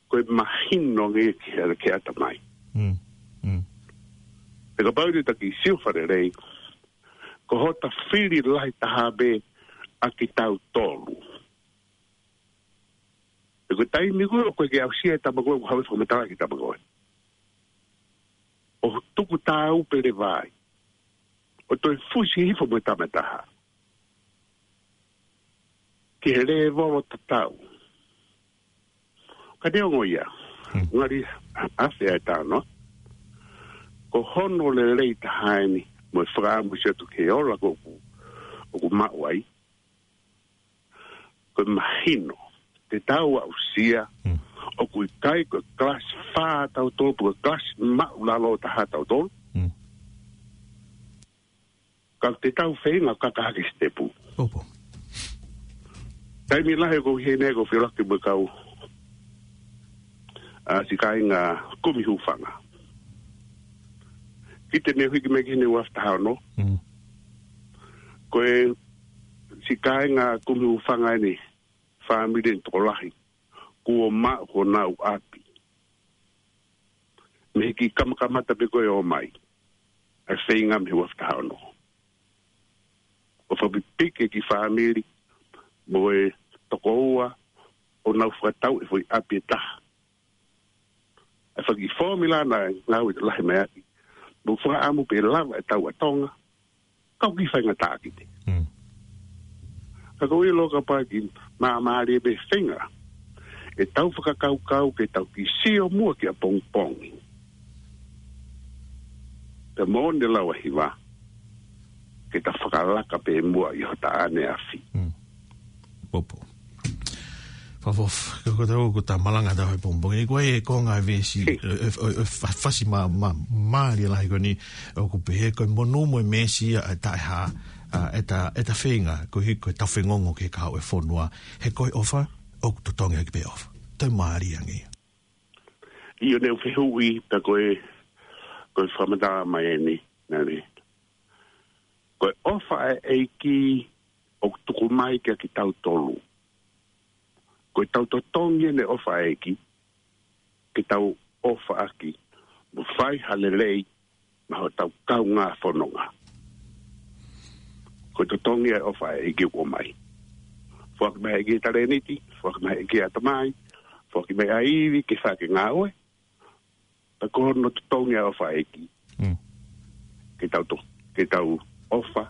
Ko e mahino ange ke, ke ʻata mai. Hmm. Hmm. He kapau te ta kiʻi sio fakalelei. Ko hota fili lahi taha pē ʻa kitautolu. He ko e taimi ko ē, ko e ke aʻusia e tama ko ē, ʻoku haʻu e fakamatala ki he tama ko ē. ʻO tuku tāu pē leva ai. ʻO toe fusi hifo mo e tama ʻe taha. Ki he lēvolo tatau. Ka neongo ia. Hmm. Ngali afe ʻa e tano. Ko hono lelei taha eni, mo e fakaʻamu ʻosi atu ke ola ko ʻoku, ʻoku maʻu ai. Ko e mahino, te tau aʻusia, Hmm. ʻoku ʻikai ko e kalasi fā tautolu, ko e kalasi maʻulalo taha tautolu. Hmm. Ka te tau feinga ʻo kaka hake sitepu. Opo. Taimi lahi ko hene ko filaki mo kau, ʻa, siʻi kāinga kumi hūfanga. Ki te ne hiki mai ki hene ua afe taha ono. Hmm. Ko e siʻi kāinga kumi hūfanga eni, fāmili ni tokolahi. Kuo maʻu honau ʻapi. Mei he kiʻi kamakamata pē ko e ō mai. ʻA e feinga mei he ua afe taha ono. ʻO fakapipiki e kiʻi fāmili. Mo e tokoua. ʻO nau fakatau e foʻi ʻapi ʻe taha. ʻA e faki fōmila naʻe ngāue lahi mai ʻaki. Mo fakaʻamu pē lava e tau ʻa Tonga. Kau kiʻi faingataʻa ki te. Hmm. Ka ko e ʻilo kapau ʻe māmālie pē feinga. ʻE tau fakakaukau ke tau kiʻi sio muʻa ki ʻapongipongi. Pea mo ʻene lau ʻa hiva. Ke ta fakalaka pē muʻa ʻi hota ʻaneafi. Hmm. Popo. Fakaʻofoʻofa, ko, ko tau, ko ta malanga tau he pongipongi. Ko e konga e veesi, He. e, e, e, fa-, fasi mā, mā, mālie lahi ko eni, ʻoku pehē ko e monū mo e meesi ʻa e taʻehā, ʻa, ʻe ta, ʻe ta feinga, ko hi, ko e ta fengongo ke kau e fonua. He ko e ʻofa, ʻoku totongi ʻaki pē ʻofa. Toe mālie ange ia. ʻIo ne u fehuʻi, ta ko e, ko e fakamatala mai eni, nani. Ko e ʻofa ʻa e ʻEiki ʻoku tuku mai kia kitautolu. Ko e tau totongi ʻene ʻofa ʻa e ʻEiki, ke tau ʻofa ʻaki, mo fai ha lelei, maʻa hotau kaungā fononga. Ko e totongi ʻa e ʻofa ʻa e ʻEiki ʻoku ʻomai. Foaki mai ʻEiki e talēniti, foaki mai ʻEiki e ʻatamai, foaki mai ʻa e ivi ke fai ʻaki e ngāue, Pea ko hono totongi ʻa e ʻofa ʻa e ʻEiki. Mm. Ke tau to-, ke tau ʻofa,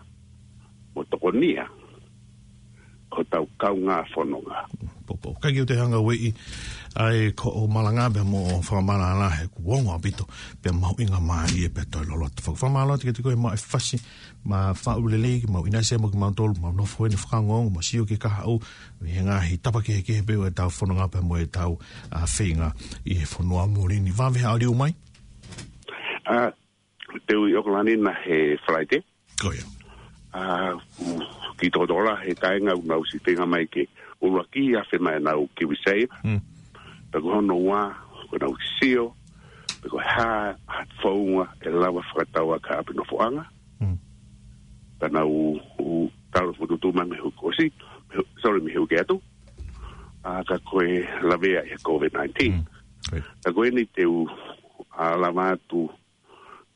mo tokonia, ko hotau kaungā fononga. Popo. Ka ke u te hanga ueʻi ʻa e ko ʻo malanga pea mo fakamālō he kuo ongo ʻaupito pea mahuʻinga mālie pea toe loloto. Faka-, fakamālō atu kiate koe mo e fasi mo e faʻu lelei ke mau ʻinasi mo kimautolu, mau nofo ʻi he fakaongoongo, mau sio ki he kahaʻu, ʻi he ngaahi tapa kehekehe pē ʻo ʻetau fononga pea mo ʻetau, ʻa, feinga ʻi he fonua muli ni. Vave ha ʻaliu mai? ʻA, te u ʻi ʻOkalani ʻi he Falaite. Ko ia. ʻA, ki Tokotola he taʻenga ʻoku nau siʻi feinga mai ke ʻuluaki ʻa e feinga ʻenau kiwi save. Mm. Pea ko hono ua, ko ʻenau sio pe ko e hā ha founga ʻe lava fakatau ʻaki ha ʻapi nofoʻanga. Mm. Pea nau, ʻu, talo fokotuʻutuʻu mai mei he uike kuo ʻosi, mei he, sorry, mei he uike atu. ʻA, ka ko e lavea ʻi he COVID nineteen. Mm. Right. Ka ko eni te u, ʻa, lava atu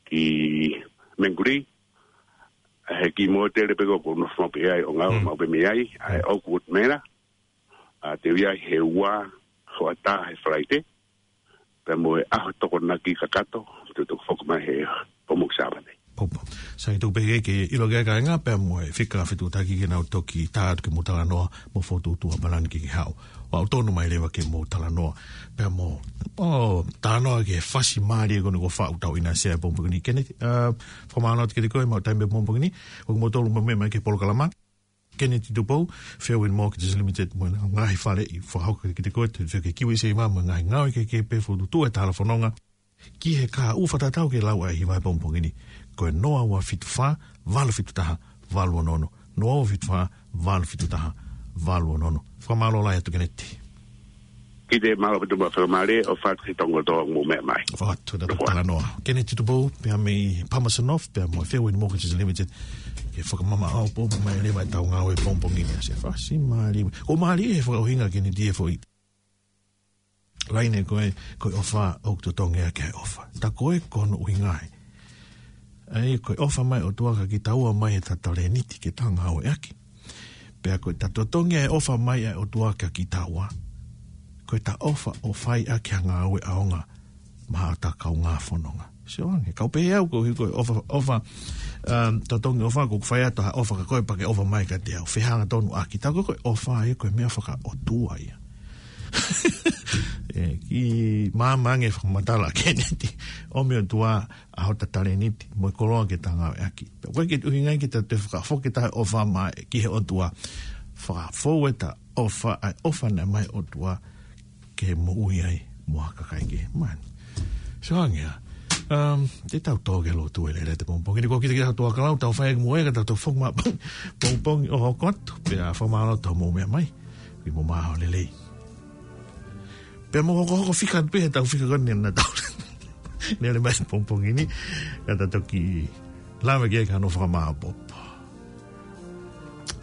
ki Mangere, he kiʻi mōtele pē ko ē ʻoku nofo pē ai ʻo ngāue Mm. maʻu pē mei ai, ʻa e Mm. Oakwood Manor. ʻA, te u ʻi ai he ua hoʻatā he Falaite, pea mo e ʻaho Tokonaki kakato, te u toki foki mai he pongipongi Sāpate. Popo. Sai, tuku pē ke ʻilo ki he kāinga pea mo e fika fetuʻutaki ke nau toki tā atu ke mou talanoa mo fokotuʻutuʻu ha palani ke ke haʻu. ʻOku ou tonu mai leva ke mou talanoa pea mo, ʻo, talanoa ki he fasi mālie ko eni kuo faʻu tau ʻinasi he pongipongi ni. Kenneth, ʻa, fakamālō atu kiate koe mo e taimi he pongipongi ni, ʻoku mou tolu mo meʻa mai ki he polokalama. Kenneth Tupou, Fairwind Mortgages Limited, mo e ngaahi faleʻi fakahoko kiate koe, te ke kiwi save mo e ngaahi ngāue kehekehe pē fokotuʻutuʻu e tala fononga ki he kahaʻu, fakatatau ki he lau ʻa e hiva he pongipongi ni. Ko e noa ua fitu fā, valu fitu taha, valu ono ono. Noa ua fitu fā, valu fitu taha, valu ono ono. Fakamālō lahi atu Kenneth. Kiʻi mālō ʻaupito mo e fakamālō ʻofa atu ki he tongo tō mo meʻa mai. ʻOfa atu, ʻofa atu. Talanoa. Kenneth Tupou, pea mei Palmerston North, pea mo e Fairwind Mortgages Limited. Ke fakamamaʻo ʻaupito mai leva ʻetau ngāue pongipongi ni ʻa e fasi mālie. ʻOku mālie he fakaʻuhinga Kenneth he foʻi laine ko e, ko e ʻofa ʻoku totongi ʻaki ʻa e ʻofa. Tā ko ē ko hono ʻuhinga ē. ʻA ia ko e ʻofa mai ʻOtua kia kitaua mai ʻeta talēniti ke ta ngāueʻaki. Pea ko ʻeta totongi ʻa e ʻofa mai ʻa e ʻOtua kia kitaua, ko ʻeta ʻofa ʻo fai ʻaki ha ngāue ʻaonga maʻa ʻeta kaungā fononga. Sio ange, kau pehē au ko e ʻuhi ko e ʻofa, ʻofa, um, totongi ʻofa, ʻoku ou fai atu ha ʻofa kia koe pea ke ʻofa mai kiate au. Fehangatonu ʻaki, tā ko e ʻofa ia ko e meʻa fakaʻotua ia. ʻE, kiʻi maama ange fakamatala Kenneth. ʻOmi ʻOtua ʻa hota talēniti mo e koloa ke ta ngāueʻaki. Pea ʻoku ʻikai ke ʻuhinga ia ke ta toe fakafoki ʻeta ʻofa mai ki he ʻOtua. Fakafou ʻeta ʻofa, ʻa e ʻofa naʻe ʻomai ʻe he ʻOtua ke moʻui ai mo ha kakai kehe. Man. Sio ange ā. Um, te tau tō ki he lotu ʻe lelei he pongipongi ni, ko kita kita tau ʻalu atu ʻo tau fai ʻaki mo e ka tau toe foki mai pongipongi ʻo hoko atu. Pea fakamālō atu hoʻomou meʻa mai. Ke mou maʻu ha ʻaho lelei. Pea mou hokohoko fika atu pē he tau fika ko eni naʻa tau lele mai he pongipongi ni. Ka ta toki lave ki ai ka nofo fakamāʻopoʻopo.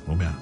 Mou meʻa.